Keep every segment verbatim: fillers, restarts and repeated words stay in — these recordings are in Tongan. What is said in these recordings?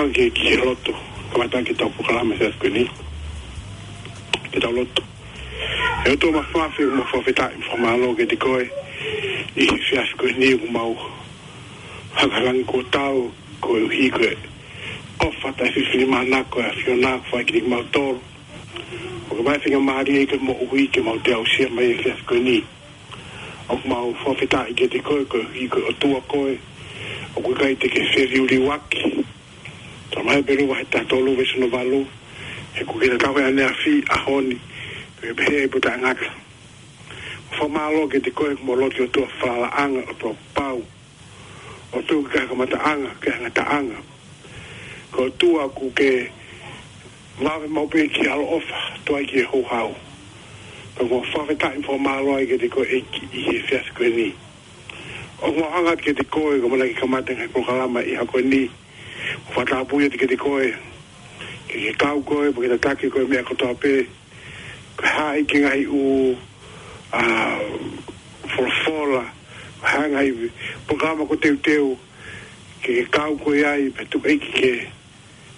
Ke ki he lotu, kamata ke tau polokalama he efiafi ko eni. Ke tau lotu. ʻE ʻOtua Māfimafi, ʻoku mau fakafetaʻi mo fakamālō kiate koe ʻi he efiafi ko eni, ʻoku mau hanga ʻi langi kuo tau, koeʻuhi ko e ʻofa taʻefifilimānako ʻa e ʻAfiona kuo fai kiate kimautolu. ʻOku mau feinga mālie ke moʻui ke mau toe aʻusia mai e efiafi ko eni. ʻOku mau fakafetaʻi kiate koe, koeʻuhi ko e ʻOtua koe, ʻoku ʻikai te ke feliuliuaki. Talamai ʻe Hepelū vahe taha tolu veesi hono valu, he kuo ke tatau he ʻaneafi, ʻaho ni, pea pehē ai pea taʻengata. Fakamālō kiate koe, ʻoku mau lotu ʻOtua falalaʻanga, ʻOtua pau. ʻOtua ʻikai ha kamataʻanga, ʻikai ha ngataʻanga. Ko e ʻOtua ʻoku ke vave maʻu pē ki he ʻaloʻofa, tuai ki he houhau. Pea ʻoku mau fakafetaʻi mo fakamālō ai kiate koe ʻEiki ʻi he efiafi ko eni. ʻOku mau hanga kiate koe, ko e ʻamanaki ke kamata e ngaahi polokalama ʻi he ʻaho ko eni. Fakatapu atu kiate koe. Ke ke kau koe, pea ke tataki koe meʻa kotoa pē. Ko e hā e ngaahi ʻū, ʻa, folofola, ko e hā e ngaahi polokalama kuo teuteu, ke ke kau koe ai, pea tuku ʻEiki ke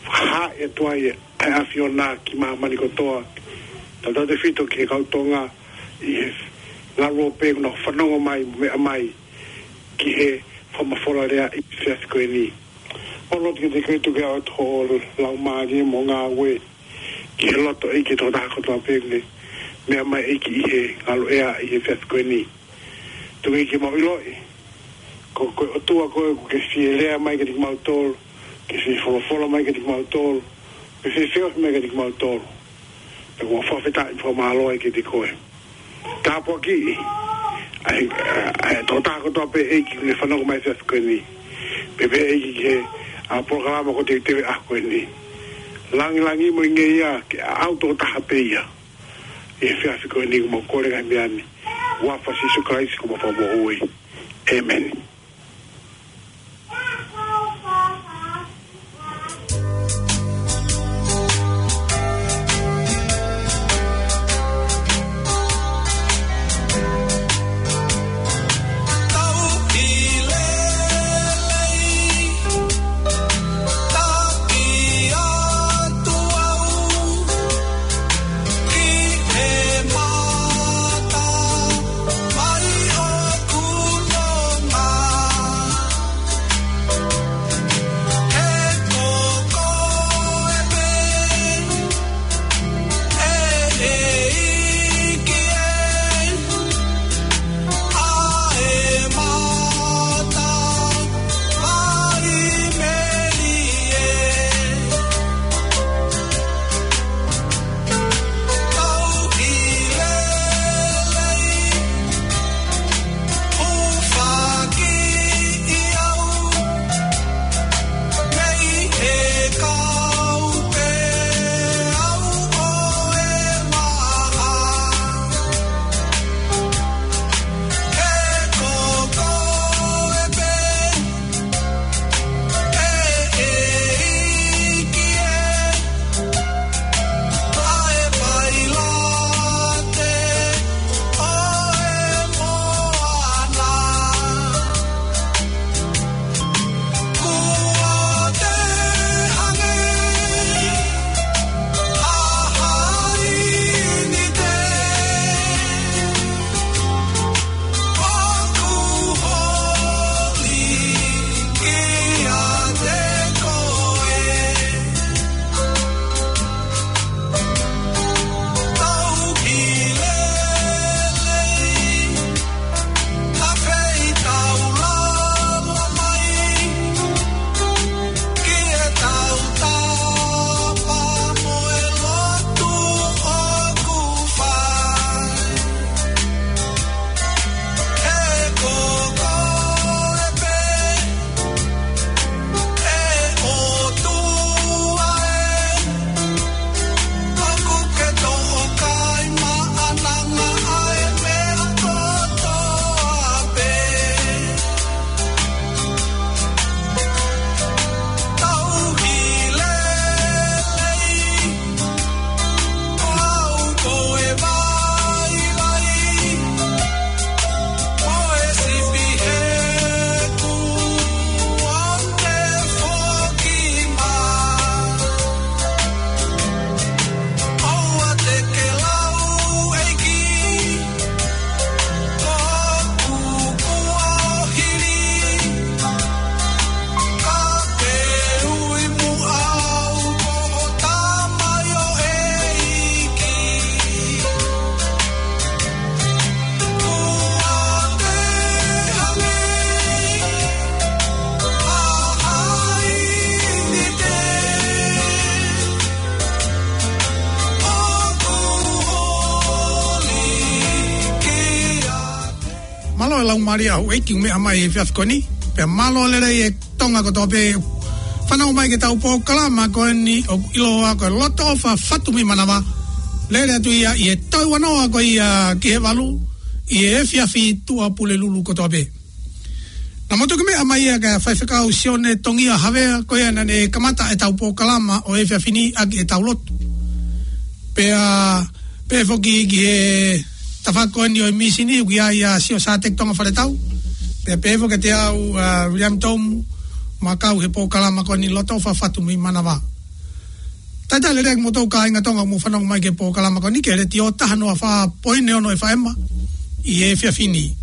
fakahā atu ai ʻa e ʻAfiona ki māmani kotoa. Tautautefito ki he kau Tonga ʻi he ngaluope ʻoku nau fanongo mai, meʻa mai, ki he fakamafola lea ʻi he efiafi ko eni. ʻOku mau lotu kiate koe tuku atu ho laumālie mo e ngāue ki he loto ʻEiki ʻo e tokotaha kotoa pē ʻoku ne meʻa mai ʻEiki ʻi he ngaluʻea ʻi he efiafi ko eni. Tuku ʻEiki ke mau ʻiloʻi, ko, ko e ʻOtua koe ʻoku ke fie lea mai kiate kimautolu, ke fie folofola mai kiate kimautolu, ke fie feohi mai kiate kimautolu. Pea ʻoku mau fakafetaʻi mo fakamālō ai kiate koe. Tāpuakiʻi ʻa e, ʻa e tokotaha kotoa pē ʻEiki ʻoku ne fanongo mai he efiafi ko eni. Pea pehē ʻEiki ki he, ʻa, polokalama kuo teuteu he ʻaho ko eni. Langilangi mo e ngeia ke ʻaʻau tokotaha pē ia. ʻI he efiafi ko eni ʻoku mau kole e ngaahi meʻa ni, huafa ʻo Sīsū Kalaisi ko homau Fakamoʻui. ʻĒmeni. Laumālie ʻa houʻeiki ʻoku meʻa mai he efiafi ko eni. Pea mālō lelei e Tonga kotoa pē fanongo mai ki heʻetau polokalama ko eni ʻoku ʻiloa ko e Loto ʻOfa Fatu mei Manava. Lele atu ia ʻi he toe ua noa ko ia ki he valu ʻi he efiafi, tuʻa Pulelulu kotoa pē. Naʻa mou toki meʻa mai ia kia Faifekau Sione Tongia Havea, ko ia naʻa ne kamata ʻetau polokalama ʻo e efiafi ni ʻaki ʻetau lotu. Pea pehē foki ki he tafaʻaki ko eni ʻo e mīsini, ʻoku ʻi ai ʻa Sio Sāteki Tonga Faletau. Pea pehē foki kiate au ʻa William Tomu, mo e kau he polokalama ko eni Loto ʻOfa Fatu mei Manava. Talitali lelei kimoutolu kāinga Tonga ʻoku mou fanongo mai ki he polokalama ko eni ki he Letiō taha noa fā poini ono F M ʻi he efiafi ni.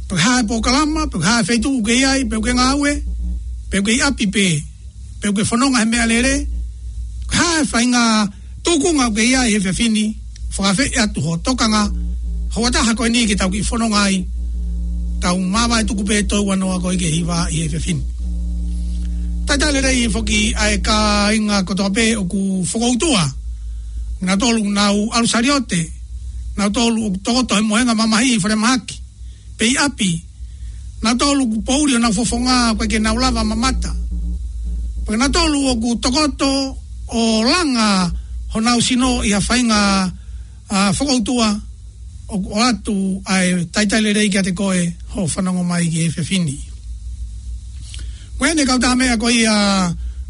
Pe ko e hā e polokalama, pe ko e hā e feituʻu ʻoku ke ʻi ai, pe ʻoku ke ngāue, pe ʻoku ke ʻi ʻapi pē, pe ʻoku ke fononga he meʻalele, ko e hā e faʻahinga tūkunga ʻoku ke ʻi ai he efiafi ni, fakaafeʻi atu ho tokanga, hoʻo ʻatā ko eni ke tau kiʻi fononga ai, tau māvae tuku pē toe ua noa ko ia ki he hiva ʻi he efiafi ni. Talitali lelei foki ʻa e kāinga kotoa pē ʻoku fokoutua. Nautolu ʻoku nau ʻalu saliote, nautolu ʻoku tokoto he mohenga mamahi ʻi falemahaki, pe ʻi ʻapi, nautolu ʻoku poʻuli honau fofonga ʻoku ʻikai ke nau lava mamata. Pea nautolu ʻoku tokoto ʻo langa honau sino ʻi ha faʻahinga, ʻa, fokoutua, ʻoku ʻoatu ʻa e talitali lelei kiate koe hoʻo fanongo mai ki he efiafi ni. Ko eni e kau tā meʻa ko ia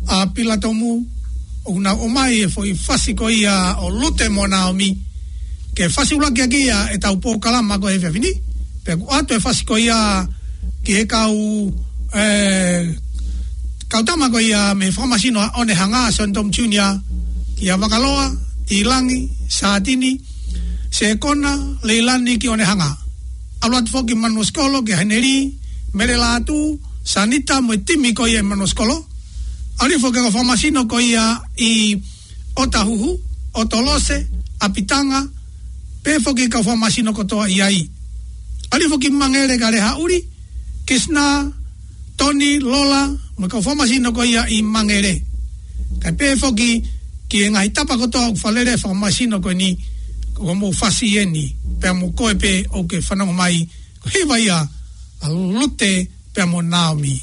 ʻa Pila Tomu, ʻoku nau ʻomai e foʻi fasi ko ia ʻo Lute mo Naomi, ke fasi ʻuluaki ʻaki ia ʻetau polokalama ko e efiafi ni. Pea ʻoku ʻoatu e fasi ko ia ki he kau, ē, kau tama ko ia mei he fakamasino ʻa ʻOnehanga, Sione Tomu Junior, kia Vakaloa, Tilangi, Sātini, Sekona, Leilani ki ʻOnehanga. ʻAlu atu foki Manuosikolo kia Heneli, Mele Lātū, Sanita mo e timi ko ia ʻi Manuosikolo. ʻAlu foki kau fakamasino ko ia ʻi ʻOtahuhu, ʻOtolose, ʻApitanga, pehē foki kau fakamasino kotoa ʻi ai. ʻAlu foki Mangele kia Lehaʻuli, Kisna, Toni, Lola, mo e kau fakamasino ko ia ʻi Mangele. Kae pehē foki ki he ngaahi tapa kotoa ʻoku fakalele e fakamasino ko eni, ko hoʻomou fasi eni, pea mo koe pē ʻoku ke fanongo mai, ko e hiva ia ʻa Lute pea mo Naomi.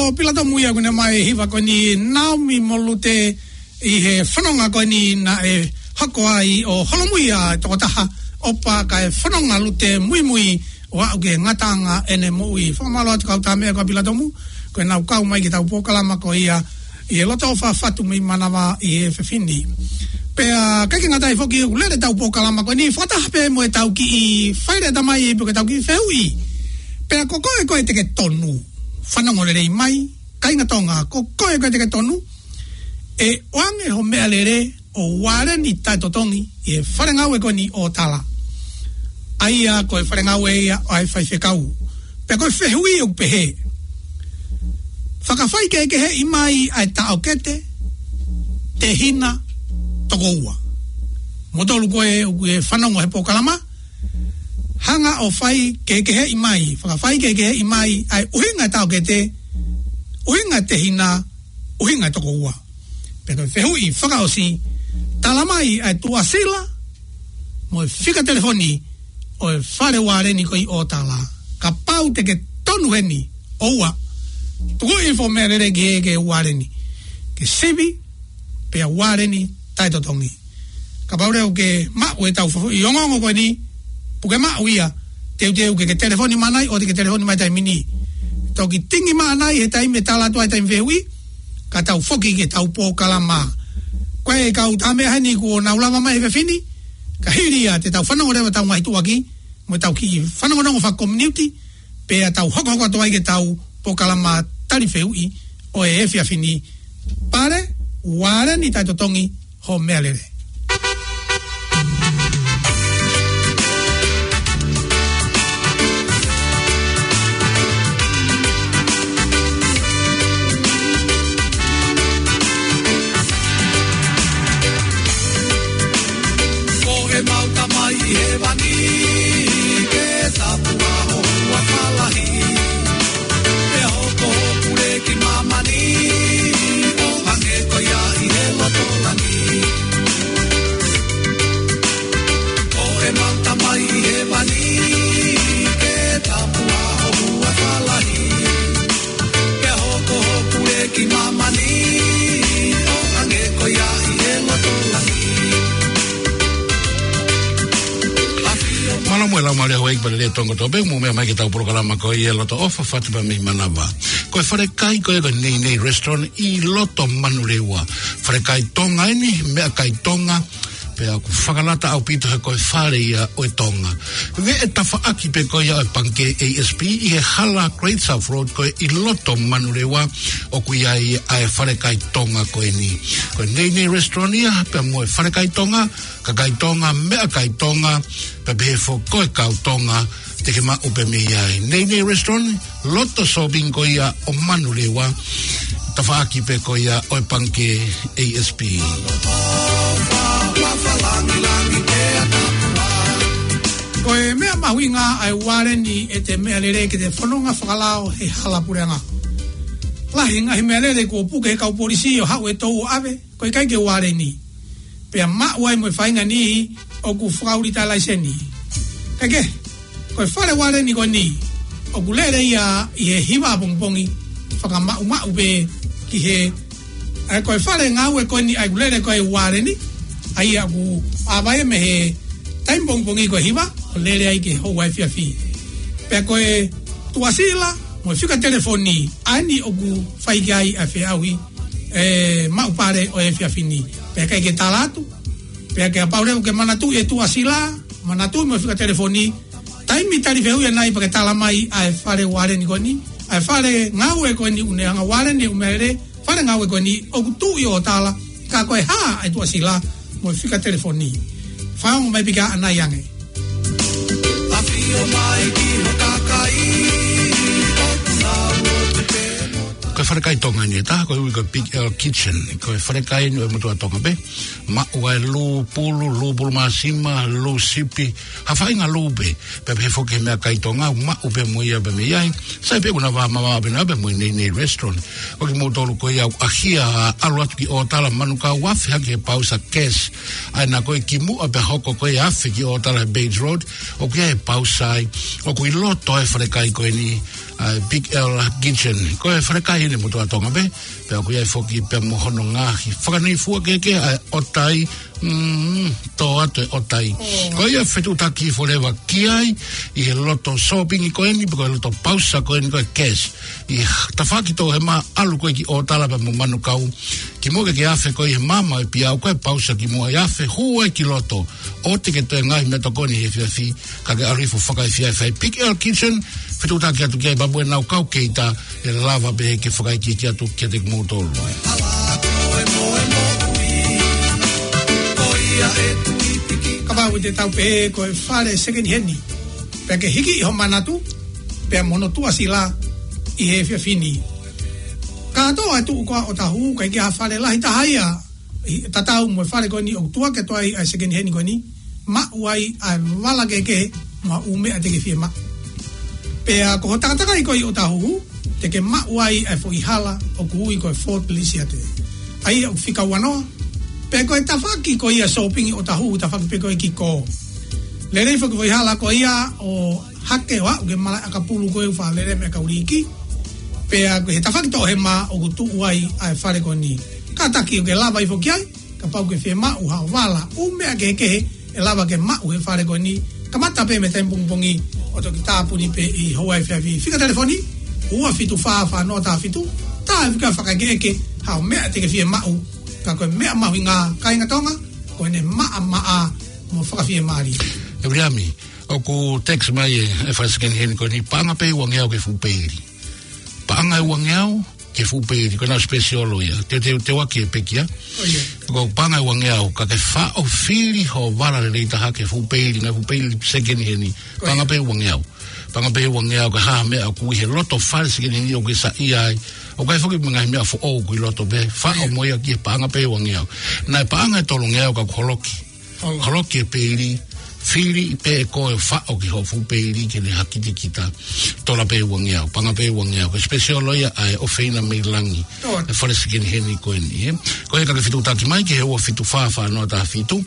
Ko Pilatomu ia ʻoku ne ʻomai e hiva ko eni, Naomi mo Lute, ʻi he fononga ko eni naʻe hoko ai ʻo holomui ʻa e tokotaha, ʻo pea ka e fononga Lute muimui ʻo aʻu ki he ngataʻanga ʻene moʻui. Fakamālō atu kau Tāmeʻa ko Pilatomu, ko ʻenau kau mai ki heʻetau polokalama ko ia ʻi he Loto ʻOfa Fatu mei Manava ʻi he efiafi ni. Pea ʻikai ke ngata ai foki, ʻoku lele ʻetau polokalama ko eni fakataha pē mo ʻetau kiʻi faileʻatamai pe ko ʻetau kiʻi fehuʻi. Pea ko koe, ko koe te ke tonu, fanongo lelei mai, kāinga Tonga, ko koe, ko koe te ke tonu, ʻe ʻoange ho meʻalele ʻo Ualeni Taʻetotongi ʻi he fale ngāue ko eni ʻo Tala. ʻA ia ko e fale ngāue ia ʻo e faifekau. Pea ko e fehuʻi ʻoku pehē: Fakafaikehekeheʻi mai ʻa e taʻokete, tehina, tokoua. Mou tolu ko ē ʻoku ke fanongo he polokalama, hanga ʻo faikehekeheʻi mai, fakafaikehekeheʻi mai ʻa e ʻuhinga e taʻokete, ʻuhinga e tehina, ʻuhinga e tokoua. Pea ko e fehuʻi fakaʻosi, tala mai ʻa e tuʻasila mo e fika telefoni ʻo e fale Ualeni ko ē ʻo Tala. Kapau te ke tonu heni, ʻoua, tukuʻi ho meʻalele ki he, ki he Ualeni, ki he sivi, pea Ualeni Taʻetotongi. Kapau leva ʻoku ke maʻu ʻetau fehuʻi ongoongo ko eni, puke maʻu ia, teuteu ke ke telefoni mai ʻo te ke telefoni mai taimi ni. Toki tingi mai ʻanai he taimi ʻe tala atu ai e taimi fehuʻi, ka tau foki ki heʻetau polokalama. Ko e kau Tāmeʻa heni kuo nau lava mai he efiafi ni, ka hili ia te tau fanongo leva ʻetau ngaahi tuʻuaki mo ʻetau kiʻi fanongonongo fakakominiuti, pea tau hokohoko atu ai ki heʻetau polokalama tali fehuʻi ʻo e efiafi ni. Pale, Ualeni Taʻetotongi, ho meʻalele. Ko ʻemau Tamai ʻi hēvani, ke tāpuhā ho huafa lahi. Pea hoko ho pule ki māmani, ʻo hangē ko ia ʻi he loto langi. Ko ʻemau Tamai ʻi hēvani, ke tāpuhā ho huafa lahi. Pea hoko ho pule ki māmani, ʻo hangē ko ia ʻi he loto langi. Mālō mo e laumālie ʻa houʻeiki palele Tonga kotoa pē, mou meʻa mai ki heʻetau polokalama ko ia Loto ʻOfa Fatu pea mei Manava. Ko e falekai ko ē ko e Nei Nei Restaurant ʻi loto Manurewa. Falekai Tonga eni, meʻakai Tonga, pea ʻoku fakalata ʻaupito he ko e fale ia ʻo e Tonga. Veʻe tafaʻaki pē ko ia ʻo e Pangikē A S P ʻi he hala Great South Road ko ē ʻi loto Manurewa, ʻoku ʻi ai ʻa e falekai Tonga ko eni. Ko e Nei Nei Restaurant ia, pea mo e falekai Tonga, kakai Tonga, meʻakai Tonga, pea pehē foki ko e kau Tonga, te ke maʻu pē mei ai. Nei Nei Restaurant, loto shopping ko ia ʻo Manurewa, tafaʻaki pē ko ia ʻo e Pangikē A S P. Ko e meʻa mahuʻinga ʻa e Ualeni ʻete meʻalele ke te fononga fakalao he hala puleʻanga. Lahi e ngaahi meʻalele kuo puke he kau polisi ʻo haʻu e tou ʻo ʻave, ko e ʻikai ke Ualeni. Pea maʻu ai mo e faʻahinga niʻihi ʻoku fakaulita laiseni. Kae kehe, ko e fale Ualeni ko eni, ʻoku lele ia ʻi he hiva ʻapongipongi, fakamaʻumaʻu pē ki he, ʻa ia ko e fale ngāue ko eni ʻa ia ʻoku lele ko ē Ualeni, ʻa ia ʻoku ʻave ia mei he taimi pongipongi ko e hiva, ʻo lele ai ki he houa efiafi. Pea ko e tuʻasila mo e fika telefoni, ʻa eni ʻoku fai ki ai ʻa e feʻauhi, ʻe, maʻu pale ʻo e efiafi ni. Pea ʻikai ke tala atu, pea kapau leva ʻoku ke manatuʻi e tuʻasila, manatuʻi mo e fika telefoni, taimi tali fehuʻi ʻanai pea ke tala mai ʻa e fale Ualeni ko eni, ʻa e fale ngāue ko eni ʻoku ne hanga Ualeni ʻo meʻalele, fale ngāue ko eni ʻoku tuʻu ʻi ʻo Tala, ka ko e hā ʻa e tuʻasila mo e fika telefoni. Fakaongo mai pē ki ai ʻanai ange. ʻAfio mai ki ho kakai, ʻoku nau ʻotu pē mo Ko e falekai Tonga eni ʻe taha, ko e ui ko e Big L Kitchen. Ko e falekai eni ʻo e motuʻa Tonga pē. Maʻu ai e lū pulu, lū pulu māsima, lū sipi, ha faʻahinga lū pē. Pea pehē foki ki he meʻakai Tonga, maʻu pē mo ia pē mei ai. Sai pē ʻoku na vā mavaʻa pē na pē mo e Nei Nei Restaurant. Ko kimoutolu ko ia ʻoku ʻaʻahi ʻalu atu ki ʻo Tala, manukau afe hake he pausa cash. ʻA ia ko e kimuʻa pea hoko ko e afe ki ʻo Tala he Bates Road, ʻoku ʻi ai e pausa ai. ʻOku ʻi loto e falekai ko eni. ʻa e Big L Kitchen. Ko e falekai ʻi he motuʻa Tonga pē, pea ʻoku ʻi ai foki pea mo hono ngaahi fakanei fua kehekehe, ʻa e ʻotai, mm, tō atu e ʻotai. Mm. Ko ia fetuʻutaki forever ki ai, ʻi he loto sōpingi ko eni, pe ko e loto pausa ko eni ko e cash. ʻI he tafaʻaki tō he mā ʻalu ko ē ki ʻŌtala pea mo Manukau, kimuʻa ke ke afe ko ē ʻi he maama ʻo e piau ko e pausa kimuʻa ʻi afe, hū ai ki loto. ʻOua te ke toe ngaahi meʻatokoni he efiafi, ka ke ʻalu hifo fakaefiafi ai. Big L Kitchen, fetuʻutaki atu ki ai pea mo ʻenau kau keita ʻe lava pē ke fakaikiiki atu kiate kimoutolu. Kapau te tau pehē ko e fale second hand, pea ke hiki ʻi ho manatu, pea mo hono tuʻasila ʻi he efiafi ni. Kātoa e tuʻu ko ē ʻo Ōtāhuhu, ʻikai ke ʻi ai ha fale lahi taha ia, ʻi, tatau mo e fale ko eni ʻoku tuʻu ake atu ai ʻa e second hand ko eni, maʻu ai ʻa e vala kehekehe mo ha ʻū meʻa te ke fiemaʻu. Pea ko ho takatakai ko ē ʻi ʻŌtāhuhu, te ke maʻu ai ʻa e foʻi hala ʻoku ui ko e Fort Lisiate. ʻA ia ʻoku fika ua noa, pea ko e tafaʻaki ko ia sōpingi ʻo ʻŌtāhuhu, tafaʻaki pē ko ē ki kō. Lelei foki foʻi hala ko ia ʻo hake ʻo aʻu ki he malaʻe ʻakapulu ko ē ʻoku faʻa lele meʻa kau liiki. Pea ko e tafaʻaki tō he mā ʻoku tuʻu ai ʻa e fale ko eni. Kātaki ʻoku ke lava hifo ki ai, kapau ʻoku ke fiemaʻu ha vala, ʻū meʻa kehekehe ʻe lava ke maʻu he fale ko eni. Kamata pē mei he taimi pongipongi ʻo toki tāpuni pē ʻi he houa efiafi. Fika telefoni, ua fitu fā fā noa taha fitu, tā e fika fakaʻekeʻeke haʻo meʻa te ke fiemaʻu. Ka ko e meʻa mahuʻinga, kāinga Tonga, ko ʻene maʻamaʻa mo fakafiemālie. ʻE Viliami, ʻoku text mai e, e fale second hand ko eni, paʻanga pē ʻe uangeau ki he fuʻu peili. Paʻanga ʻe uangeau ki he fuʻu peili, ko ʻenau special ia. Te, te, te ʻoua ke pekia. ʻIo. Ko e paʻanga ʻe uangeau, ka ke faʻo fili ho vala lelei taha ki he fuʻu peili, ngaahi fuʻu peili second hand. ʻIo. Paʻanga pē ʻe uangeau. Paʻanga pē ʻe uangeau, ka ʻi ai ha meʻa ʻoku ʻi he loto fale second hand ʻoku ke saiʻia ai, ʻoku ʻi ai foki mo e ngaahi meʻa foʻou ʻoku ʻi loto pē, faʻo mo ia ki he paʻanga pē ʻe uangeau. Naʻe paʻanga ʻe tolungeau ka ʻoku holoki. Holoki e peili, fili pē ʻe koe ʻo faʻo ki ho fuʻu peili ke ne hakitekita. Tola pē ʻe uangeau, paʻanga pē ʻe uangeau. Ko e special ia ʻa e ʻofeina mei langi. ʻE fale second hand ko eni, ē? Ko ia ka ke fetuʻutaki mai ki he ua fitu fā fā noa taha fitu.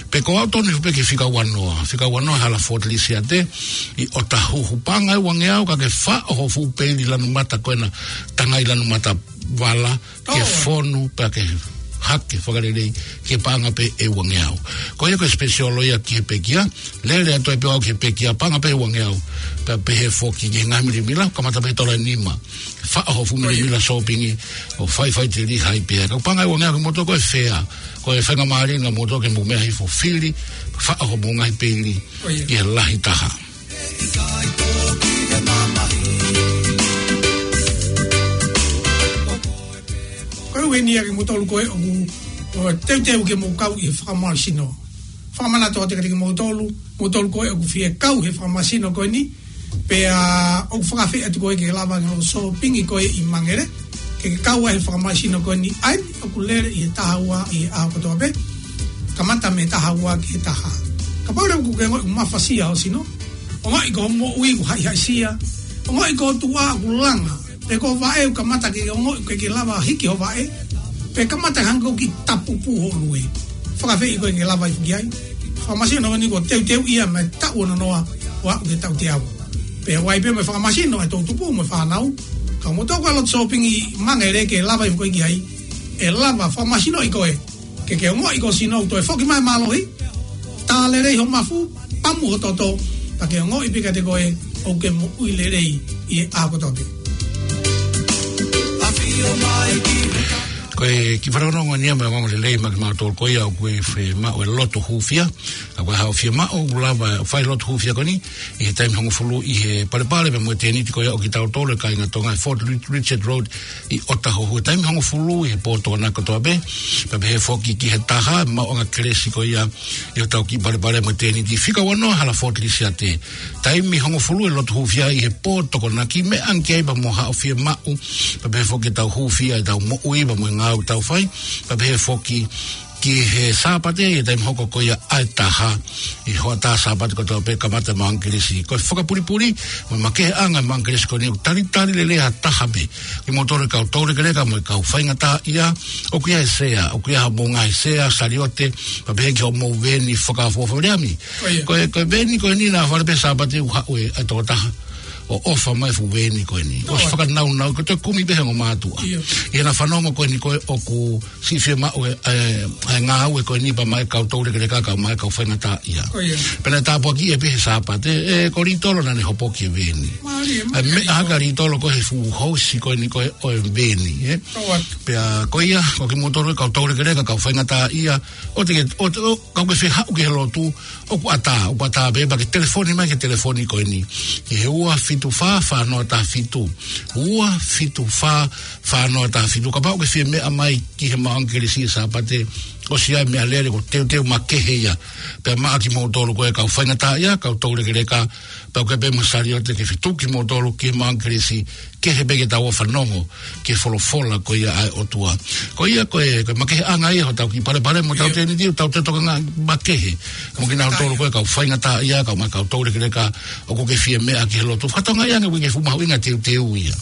Pe ko au tonu pē ki he fika ua noa. Fika ua noa hala Fort Lisiate ʻi ʻŌtāhuhu, paʻanga ʻe uangeau ka ke faʻo ho fuʻu peili lanu mata ko ena, tangai lanu mata vala, ke fonu, pea ke hake fakalelei, ke paʻanga pē ʻe uangeau. Ko ia ko e special ia ki he pekia, lele atu ai pē au ki he pekia, paʻanga pē ʻe uangeau, pea pehē foki ki he ngaahi milemila, kamata pē he tola ʻe nima. Faʻo ho fuʻu milemila sōpingi, ʻo faifaiteliha ai pē. Ka paʻanga ʻe uangeau kimoutolu ko e fea, ko e faingamālie ʻa moutolu ke mou meʻa hifo fili, faʻo homou ngaahi peili, ki he lahi taha. Ko e ʻuhinga ia kimoutolu ko ē ʻoku, ʻoku teuteu ke mou kau ʻi he fakamālohisino. Fakamanatu atu kiate kimoutolu, moutolu ko ē ʻoku fie kau he fakamālohisino ko eni, pea ʻoku fakafeʻiloaki atu ko ē ke lava ke loto sōpingi ko ē ʻi Mangere, ke ke kau ai he fakamālohisino ko eni, ʻa eni ʻoku lele ʻi he taha ua ʻi he ʻaho kotoa pē, kamata mei he taha ua ki he taha. Kapau leva ʻoku ke ongoʻi ʻoku mafasia ho sino, ongoʻi ko hoʻo moʻui ʻoku haʻihaʻisia, ongoʻi ko ho tuʻa ʻoku langa, pe ko ho vaʻe ʻoku kamata ke ongoʻi ʻoku ʻikai ke lava hiki ho vaʻe, pe kamata hangē ʻoku kiʻi tapupū ho ʻolunga. Fakafeʻiloaki ko ē ke lava hifo ki ai. Fakamālohisino ko eni kuo teuteu ia mei he taʻu ono noa ʻo aʻu ki he taʻu teau. Pea ʻoku ʻi ai pē mo e fakamālohisino ʻa e toʻutupu mo e fānau. Ka moutolu ko ē loto sōpingi ʻi Mangere ke lava hifo ko ē ki ai, ʻe lava fakamālohisinoʻi koe ke ke ongoʻi ko ho sino ʻoku toe foki mai mālohi, tā lelei ho mafu, pamu ho toto, pea ke ongoʻi pē kiate koe ʻoku ke moʻui lelei ʻi he ʻaho kotoa pē. Ko e kiʻi fanongonongo eni ia mo e ongoongo lelei maʻa kimautolu ko ia ʻoku fiemaʻu e loto hūfia. Ka ko e haʻu fiemaʻu ʻoku lava fai loto hūfia ko eni ʻi he taimi hongofulu ʻi he palepale pea mo e tēniti ko ia ʻo kitautolu e kāinga Tonga he Fort Richard Road ʻi ʻŌtāhuhu he taimi hongofulu ʻi he pō Tokonaki kotoa pē. Pea pehē foki ki he taha, maʻuʻanga kelesi ko ia ʻi hotau kiʻi palepale mo e tēniti. Fika ua noa hala Fort Lisiate. Taimi hongofulu e loto hūfia ʻi he pō Tokonaki, meʻa ange ki ai pea mo haʻo fiemaʻu. Pea pehē foki ke tau hūfia ʻetau moʻui pea mo e ngāue ʻoku tau fai. Pea pehē foki ki he Sāpate ʻi he taimi hoko ko ia ʻa e taha ʻi he hoʻatā Sāpate kotoa pē kamata e maʻuʻanga kelesi. Ko e fakapulipuli mo e makeheʻanga e maʻuʻanga kelesi ko eni ʻoku talitali lelei ha taha pē. Kimoutolu e kau toulekeleka mo e kau faingataʻaʻia, ʻoku ʻi ai e sea, ʻoku ʻi ai haʻamou ngaahi sea, saliote, pea pehē ki hoʻomou veni fakaʻofoʻofa, Viliami. Ko e, ko e veni ko eni naʻa fale pē Sāpate ʻoku haʻu e, e tokotaha. ʻo ʻofa mai e fuʻu veeni ko eni. ʻOsi fakanaunau, ko e toe kumi pē he ongo mātuʻa. ʻIo. ʻI heʻena fanongo ko eni ko ē ʻoku siʻi fiemaʻu e, e, e ngāue ko eni pea maʻa e kau toulekeleka, kae ʻumaʻā e kau faingataʻaʻia. Ko ia. Pea naʻe tāpuakiʻi ia pē he Sāpate, e, ko Litolo naʻa ne hopoki e veeni. Mālie, ʻa e mālie. Meʻa hake ʻa Litolo ko e fuʻu housi ko eni ko ē ʻo e veeni, ē? Ko ia. Pea ko ia, ko kimoutolu e kau toulekeleka, kau faingataʻaʻia, ʻoua te ke, ʻoua te, ʻo, kapau ʻoku ke fie haʻu ki he lotu, ʻoku ʻatā, ʻoku ʻatā pē, pea ke telefoni mai ki he telefoni ko eni. Ki he ua fitu fā, fā noa taha fitu. Ua fitu fā, fā noa taha fitu. Kapau ʻoku ke fie meʻa mai ki he maʻu ʻangelesi he Sāpate, ʻosi ʻa e meʻalele, ko e teuteu makehe ia. Pea maʻa kimoutolu ko ē kau faingataʻaʻia, kau toulekeleka, pea ʻoku ʻi ai pē mo e saliote ke fetuku kimoutolu ki he maʻu ʻangelesi, kehe pē ke tau ō ʻo fanongo ki he folofola ko ia ʻa e ʻOtua. Ko ia ko e, ko e makeheʻanga ia hotau kiʻi palepale mo hotau, ʻio, tēniti, hotau toe tokangaʻi makehe. Mo kinautolu ko ē kau faingataʻaʻia, kae ʻumaʻā e kau toulekeleka, ʻoku ke fie meʻa ki he lotu. Fakatokangaʻi ange ʻoku ʻikai ke fuʻu mahuʻinga e teuteu ia.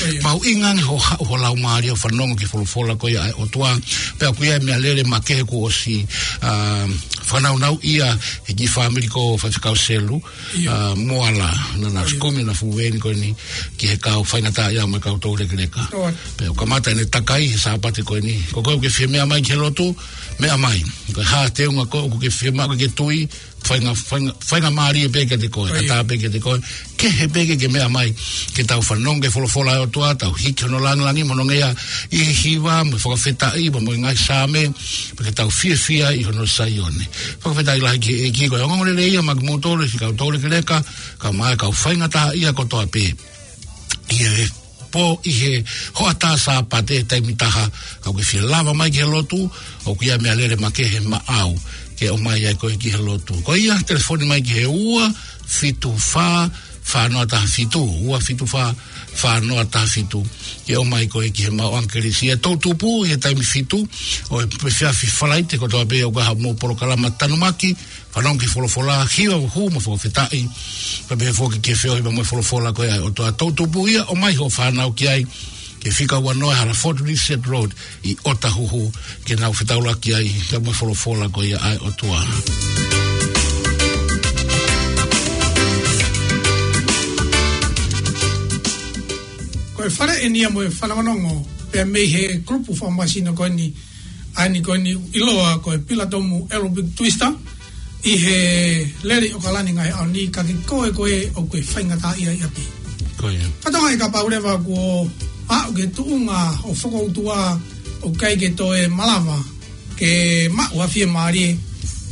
ʻIo. Mahuʻinga ange hoʻo haʻu ho laumālie ʻo fanongo ki he folofola ko ia ʻa e ʻOtua. Pea ʻoku ʻi ai e meʻalele makehe kuo ʻosi, ā, fakanāunauʻi ia ʻe he kiʻi fāmili ko Faifekau Selu, ʻio, ā, Moala, naʻa na, ʻio, ʻosi kumi ʻena fuʻu veeni ko eni ki he kau faingataʻaʻia mo e kau toulekeleka. ʻIo. Pea ʻoku kamata ʻene takai he Sāpate ko eni. Ko koe ʻoku ke fie meʻa mai ki he lotu, meʻa mai. Ko e hā e teunga ko ē ʻoku ke fiemaʻu ke ke tui, fainga, fainga, faingamālie pē kiate koe, ʻio, ʻatā pē kiate koe, kehe pē ke ke meʻa mai, ke tau fanongo ki he folofola ʻa e ʻOtua, tau hiki hono lāngilangi mo hono ngeia ʻi he hiva, mo e fakafetaʻi, mo, mo e ngaahi Saame, pea ke tau fiefia ʻi hono Saione. Fakafetaʻi lahi ki he ʻEiki, ko e ongoongolelei ia maʻa kimoutolu siʻi kau toulekeleka, kae ʻumaʻā e kau faingataʻaʻia kotoa pē. ʻI he pō, ʻi he hoʻatā Sāpate taimi taha, kapau ʻoku ke fie lava mai ki he lotu, ʻoku ʻi ai e meʻalele makehe maʻau ke ʻomai ai koe ki he lotu. Ko ia, telefoni mai ki he ua fitu fā, fā noa taha fitu, ua fitu fā, fā noa taha fitu, ke ʻomai koe ki he maʻu ʻangelesi. ʻA e toʻutupu ʻi he taimi fitu ʻo e efiafi Falaite, kotoa pē ʻoku ʻi ai haʻamou polokalama tanumaki, fanongo ki he folofola, hiva, hū mo fakafetaʻi. Pea pehē foki ki he feohi mo e folofola ko ia ʻa e ʻOtua. Toʻutupu ia, ʻomai hoʻo fānau ki ai, ki he fika ua noa Halaford Reset Road ʻi ʻOtahuhu, ke nau fetaulaki ai pea mo e folofola ko ia ʻa e ʻOtua. Ko e fale eni ia mo e fanongonongo pē mei he kulupu fakamāsino ko eni, ʻa eni ko eni ʻiloa ko e Pilatomu Aerobic Twister, ʻi he lele ʻi ʻOkalani he ngaahi ʻaho ni, ka ko koe ko ē ʻoku ke faingataʻaʻia ʻi ʻapi. Ko ia. Fakatokangaʻi kapau leva kuo aʻu ki he tuʻunga hoʻo fokoutua ʻoku ʻikai ke toe malava ke maʻu ha fiemālie,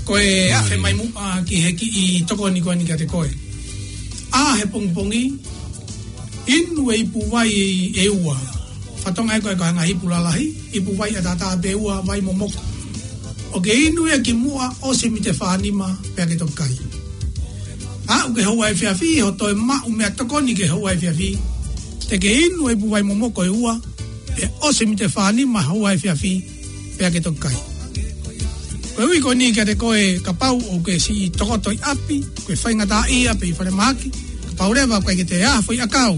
ko e, mālie, afe mai muʻa ki he kiʻi tokoni ko eni kiate koe. ʻA e pongipongi, inu e ipu vai ʻe ua. Fakatokangaʻi ko e, ko e ngaahi ipu lalahi, ipu vai ʻataʻatā pē ʻe ua, vai momoko. ʻOku ke inu ia kimuʻa ʻosi e miniti ʻe fā nima pea ke toki kai. Aʻu ki he houa efiafi, hoʻo toe maʻu meʻatokoni ki he houa efiafi, te ke inu e ipu vai momoko ʻe ua, pea ʻosi e miniti ʻe fā nima houa efiafi, pea ke toki kai. Koeʻuhi ko eni kiate koe kapau ʻoku ke siʻi tokoto ʻi ʻapi, ʻoku ke faingataʻaʻia pē ʻi falemahaki, kapau leva ʻoku ʻikai ke toe ʻi ai ha foʻi ʻakau,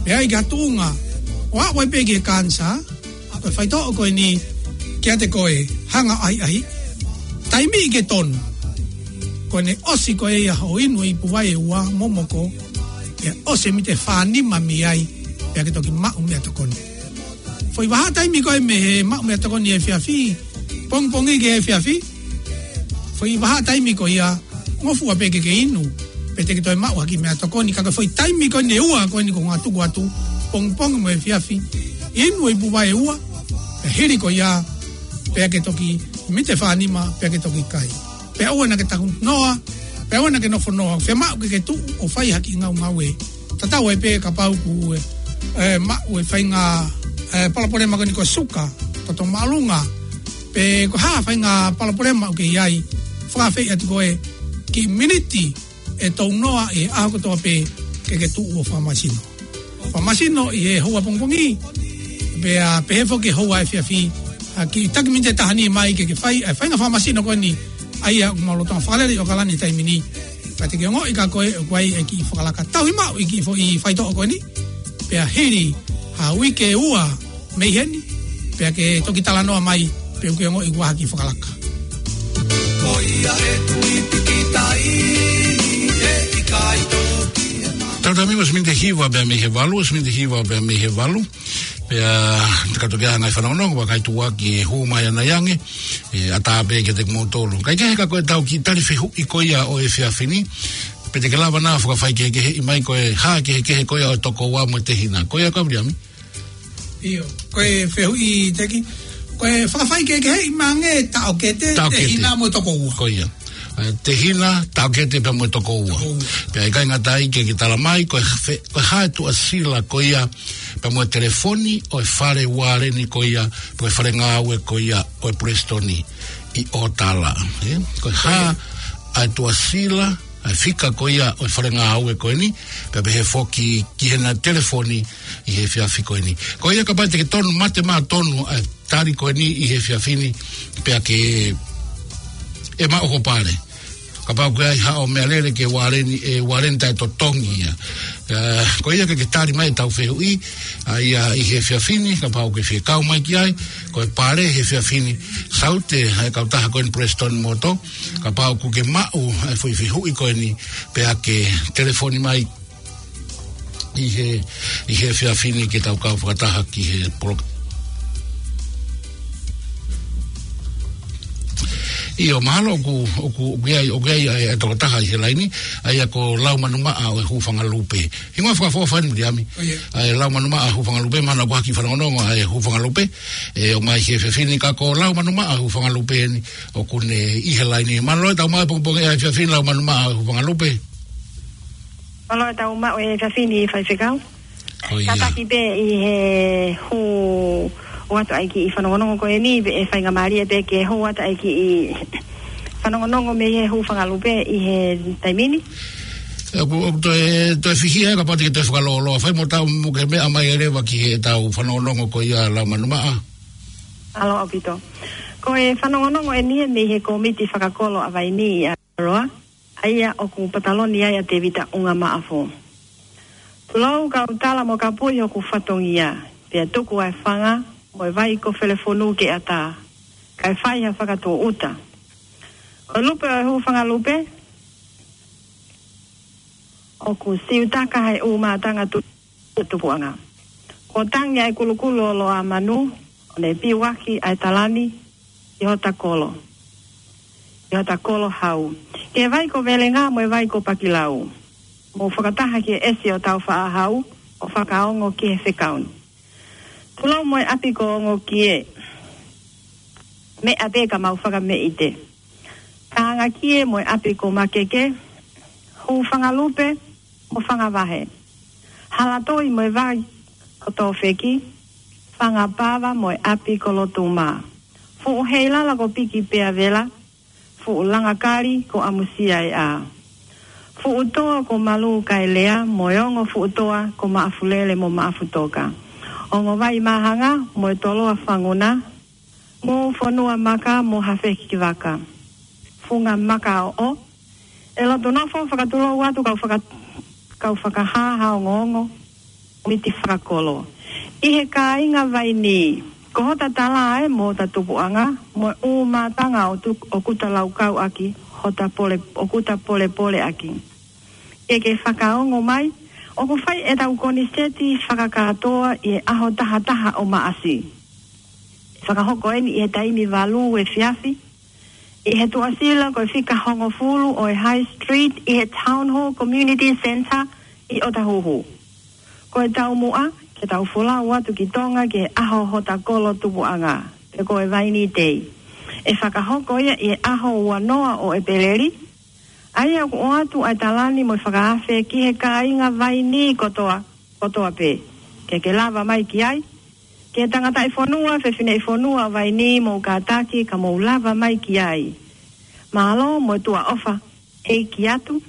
pea ʻi ai ha tuʻunga ʻo aʻu ai pē ki he kanisā, ko e faitoʻo ko eni kiate koe, hanga ʻo ʻahiʻahiʻi. Taimi ke tonu, ko ʻene ʻosi ko ia hoʻo inu e ipu vai ʻe ua momoko, pea ʻosi e miniti ʻe fā nima mei ai, pea ke toki maʻu meʻatokoni. Foʻi vahaʻa taimi ko ē mei he maʻu meʻatokoni efiafi, pongipongi ki he efiafi, foʻi vahaʻa taimi ko ia, ngofua pē ke ke inu, pea te ke toe maʻu ha kiʻi meʻatokoni, ka ko e foʻi taimi ko eni ʻe ua ko eni ʻoku ou tuku atu, pongipongi mo efiafi, inu e ipu vai ʻe ua, pea hili ko ia, pea ke toki, miniti ʻe fā nima, pea ke toki kai. Pea ʻoua naʻa ke takunoa, pea ʻoua naʻa ke nofonoa, fiemaʻu ke ke tuʻu ʻo fai ha kiʻi ngaungaue. Tatau ai pē kapau ʻoku, ē, ē, maʻu e faʻahinga, ē, palopalema ko eni ko e suka, toto māʻolunga, pe ko e hā e faʻahinga palopalema ʻoku ke ʻi ai, fakaafeʻi atu koe, kiʻi miniti ʻe tolu noa ʻi he ʻaho kotoa pē ke ke tuʻu ʻo fakamasino. Fakamasino ʻi he houa pongipongi, pea pehē foki houa efiafi, ʻa e kiʻi taki miniti ʻe taha ni mai ke ke fai, ʻa e faʻahinga fakamasino ko eni, ʻa ia ʻoku mau lolotonga fakalele ʻi ʻOkalani he taimi ni. Pea te ke ongoʻi kia koe ʻoku ʻi ai e kiʻi fakalaka. Tauhi maʻu e kiʻi foʻi faitoʻo ko eni. Pea hili ha uike ʻe ua mei heni, pea ke toki talanoa mai, pe ʻoku ke ongoʻi kuo ʻi ai ha kiʻi fakalaka. Ko ia e tui pīkitai, ʻe ʻikai toki e mama. Tau tami ua miniti hiva pea mei he valu, ua miniti hiva pea mei he valu. Pea, te katoa ke ʻi ai ha ngaahi fanongonongo, vakai tuʻa ki he hū mai ʻanai ange, ʻe ʻatā pē kiate kimoutolu. Kae kehe ka ko ʻetau kiʻi tali fehuʻi ko ia ʻo e efiafi ni, pe te ke lava nai ʻo fakafaikehekeheʻi mai ko e hā e kehekehe ko ia ʻo e tokoua mo e tehina. Ko ia ka Viliami? ʻIo, ko e fehuʻi Teki, ko e fakafaikehekeheʻi mai ange taʻokete, taʻokete, tehina mo e tokoua. Ko ia. ʻE, tehina, taʻokete pea mo e tokoua. Tokoua. Pea ʻikai ngata ai ke, ke tala mai, ko e fe-, ko e hā e tuʻasila ko ia, pea mo e telefoni ʻo e fale ualeni ko ia, pe ko e fale ngāue ko ia ʻo e Palesiteni ʻi ʻOtala. ʻE, ko e hā ʻa e tuʻasila, ʻa e fika ko ia ʻo e fale ngāue ko eni, pea pehē foki ki heʻena telefoni ʻi he efiafi ko eni. Ko ia kapau te ke tonu mate maʻa tonu ʻa e tali ko eni ʻi he efiafi ni, pea ke ʻe maʻu ho pale. Kapau ko e ʻi ai haʻo meʻalele ke ualeni, ʻe ualeni taʻetotongi ia. ʻE, ko ia ke ke tali mai ʻetau fehuʻi, ʻa ia ʻi he efiafi ni, kapau ke fie kau mai ki ai, ko e pale he efiafi ni, saute, ʻa e kautaha ko eni Palesiteni Moto, kapau ʻoku ke maʻu, ʻa e foʻi fehuʻi ko eni, pea ke telefoni mai, ʻi he, ʻi he efiafi ni ke tau kau fakataha ki he poloka-. ʻIo, mahalo ʻoku, ʻoku, ʻoku ʻi ai, ʻoku ʻi ai, ʻa e, ʻa e tokotaha ʻi he laini, ʻa ia ko Laumanu Maʻa ʻo e Hūfanga Lupe. Hingoa fakaʻofoʻofa eni Viliami. ʻIo. ʻA e Laumanu Maʻa Hūfanga Lupe, mahalo ʻoku ʻi ai ha kiʻi fanongonongo ʻa e Hūfanga Lupe. ʻE, ʻomai ki he efiafi ni ka ko Laumanu Maʻa Hūfanga Lupe eni, ʻoku ne ʻi he laini. Mālō e tau maʻu e pongipongi ʻa e efiafi ni Laumanu Maʻa Hūfanga Lupe. Mālō e tau maʻu e efiafi ni Faifekau. Ko ia. Kātaki pē ʻi he hū atu ʻa e kiʻi fanongonongo ko eni, pea ʻe faingamālie pē ke hū atu ʻa e kiʻi fanongonongo mei he Hūfanga Lupe ʻi he taimi ni. ʻOku, ʻoku toe, toe fihi ē kapau te ke toe fakalōloa. Fai mo tau mo ke meʻa mai ʻe leva ki he tau fanongonongo ko ia Laumanu Maʻa. Mālō ʻaupito. Ko e fanongonongo eni ʻe mei he kōmiti fakakolo ʻa Vainī ʻi ʻAotearoa, ʻa ia ʻoku pataloni ai ʻa Tēvita ʻUngamaʻafu. Tulou kau tala mo kapui hoku fatongia, pea tuku ʻa e fanga mo e vai ko Felefonu ke ʻatā, kae fai ha fakatūʻuta. Ko e lupe ʻo e Hūfanga Lupe, ʻoku siutaka he ʻū mātanga tu-, tupuʻanga. Kuo tangi ʻa e kulukulu ʻo Loʻamanu, ʻo ne piuaki ʻa e talani ʻi hota kolo, ʻi hota kolo hau, ki he vai ko Velenga mo e vai ko Pakilau. Mou fakataha ki he ʻesi ʻo Tāufaʻāhau, ʻo fakaongo ki he fekau ni. Tulou mo e ʻapi ko Ongokie, meʻa pē ka mau fakameʻite. Ka Angakie mo e ʻapi ko Makeke, Hūfanga Lupe mo Fangavahe, Halatoi mo e vai ko Tōfeki, Fangapava mo e ʻapi ko Lotuma, Fuʻu Heilala ko Piki pea Vela, Fuʻu Langakali ko ʻAmusia ʻEa, Fuʻu Toa ko Malu Kaelea mo e ongo Fuʻu Toa ko Maʻafulele mo Maʻafutoka, Ongo Vai Māhanga mo e Toloa Fanguna, Moʻufonua Maka mo Hafekivaka, Funga Makaoʻo. ʻE lotu nofo fakatulou atu kau faka-, kau fakahā ha ongoongo, kōmiti fakakolo. ʻI he kāinga Vainī, ko hota tala ē mo hota tupuʻanga, mo e ʻū mātanga ʻo tu-, ʻoku ta laukau ʻaki, hota pole-, ʻoku ta polepole ʻaki. Ke ke fakaongo mai, ʻoku fai ʻetau koniseti fakakātoa ʻi he ʻaho taha taha ʻo Maʻasi. Fakahoko eni ʻi he taimi valu efiafi, ʻi he tuʻasila ko e fika hongofulu ʻo e High Street, ʻi he Town Hall Community Centre ʻi ʻOtahuhu. Ko e taumuʻa, ke tau folau atu ki Tonga ki he ʻaho hota kolo tupuʻanga, pe ko e Vainī Day. ʻE fakahoko ia ʻi he ʻaho ua noa ʻo ʻEpeleli, ʻa ia ʻoku ʻoatu ʻa e talani mo e fakaafe ki he kāinga Vainī kotoa, kotoa pē. Ke ke lava mai ki ai, ki he tangataʻifonua, fefineʻifonua ʻo Vainī, mou kātaki ka mou lava mai ki ai. Mālō mo e tuʻa ʻofa, ʻEiki atu.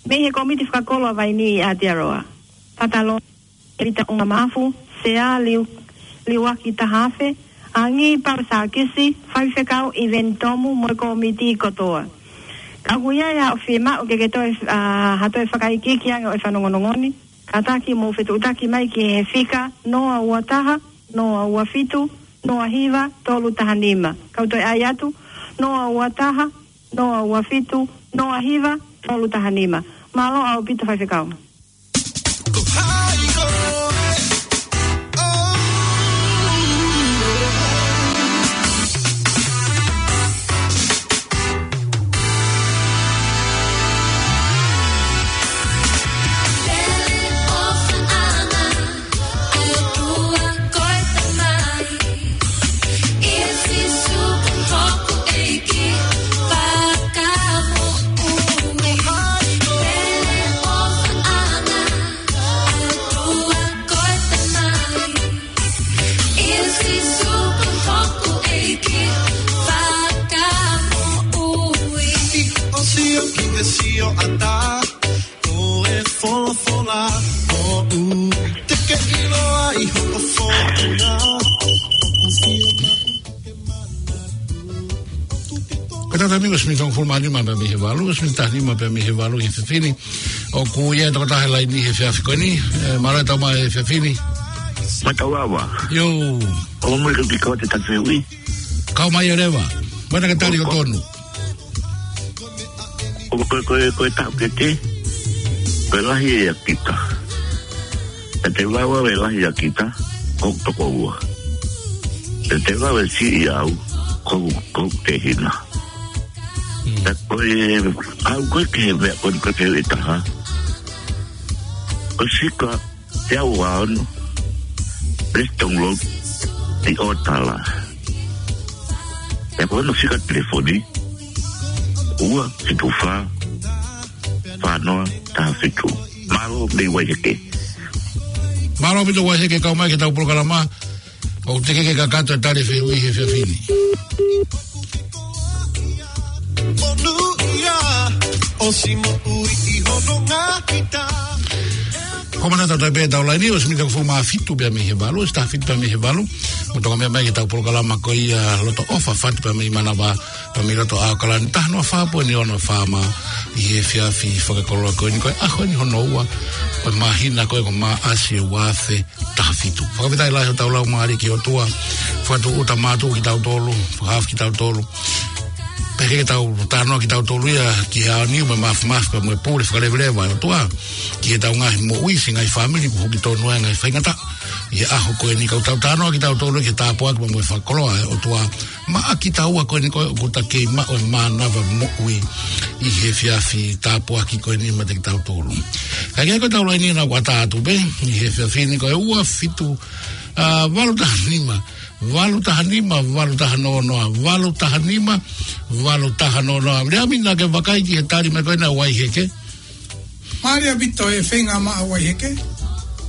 Mei he kōmiti fakakolo ʻa Vainī ʻi Aotearoa, Pataloni Tēvita ʻUngamaʻafu, Sea Liu-, Liuaki Tahaafe, Angi Pausakisi, Faifekau ʻIveni Tomu mo e kōmiti kotoa. Ka ʻoku ʻi ai haʻo fiemaʻu ke ke toe, ʻa, ha toe fakaikiiki ange ʻo e fanongonongo ni, kātaki mou fetuʻutaki mai ki he fika noa ua taha, noa ua fitu, noa hiva, tolu taha nima. Kau toe ʻai atu, noa ua taha, noa ua fitu, noa hiva, tolu taha nima. Mālō ʻaupito Faifekau. ʻO sio ki he sio ʻatā, ʻo e folofola, ʻo u te ke ʻiloa ʻi hoʻo fōtunga. Ko e taimi ko e miniti hongofulu mā nima pea mei he valu, miniti taha nima pea mei he valu he efiafi ni. ʻOku ʻi ai e tokotaha he laini he efiafi ko eni, ē, mālō e tau mai he efiafi ni. Mātau ava. ʻIo. ʻOku mui ke piko te tatui. Kau mai ʻo leva. Mana ke tali ʻo tonu. Ko, ko, ko, ko e taʻokete, ko e lahi ʻa kita. Te te lava e lahi ʻa kita, ko tokoua. Te te lava e siʻi au, ko, ko tehina. Mm. Te ko e, au ko e ke mea, ko e ke e taha. Ko sika, te au a ono. Let's download the otala. Te ko no sika telefoni. Ua, fitu fā, fā noa, taha fitu. Mālō mei Waiheke. Mālō mei Waiheke kau mai ke tau polokalama. ʻOku te ke ke kakato e tali fehuʻi he efiafi ni. Ko mana tau tai pē tau laini, ʻosi miniti hongofulu mā fitu pea mei he valu, ʻosi taha fitu pea mei he valu. Mo tonga meʻa mai ke tau polokalama ko ia Loto ʻOfa Fatu pea mei Manava, pea mei loto ʻAokalani, taha noa fā poini ono FM ʻi he efiafi fakakoloa ko eni, ko e ʻaho ni hono ua, ko e māhina ko e ko Maʻasi ʻo e ua afe taha fitu. Fakafetaʻi lahi hotau laumālie ki he ʻOtua, fakatūʻuta mātuʻa kitautolu, fakahaofi kitautolu. Pea ke tau talanoa kitautolu ia ki he ʻaho ni, mo e mafimafi ka mo e pule fakaleveleva ʻa e ʻOtua ki heʻetau ngaahi moʻui, siʻi ngaahi fāmili, kuo hoko tonu ai e ngaahi faingataʻa. ʻI he ʻaho ko eni ka tau talanoa kitautolu ki he tāpuaki mo e fakakoloa ʻa e ʻOtua maʻa kitaua ko eni ko ē ʻoku ta kei maʻu e mānava moʻui ʻi he efiafi tāpuaki ko eni maʻa kitautolu. Ka ʻi ai ko ʻetau laini naʻa ku ʻatā atu pē ʻi he efiafi ni ko e ua fitu, ā, valu taha nima, valu taha nima, valu taha noa noa, valu taha nima, valu taha noa noa. Lea mina ke vakai ki he tali mai ko ena Waiheke. Mālō ʻaupito e feinga maʻa Waiheke.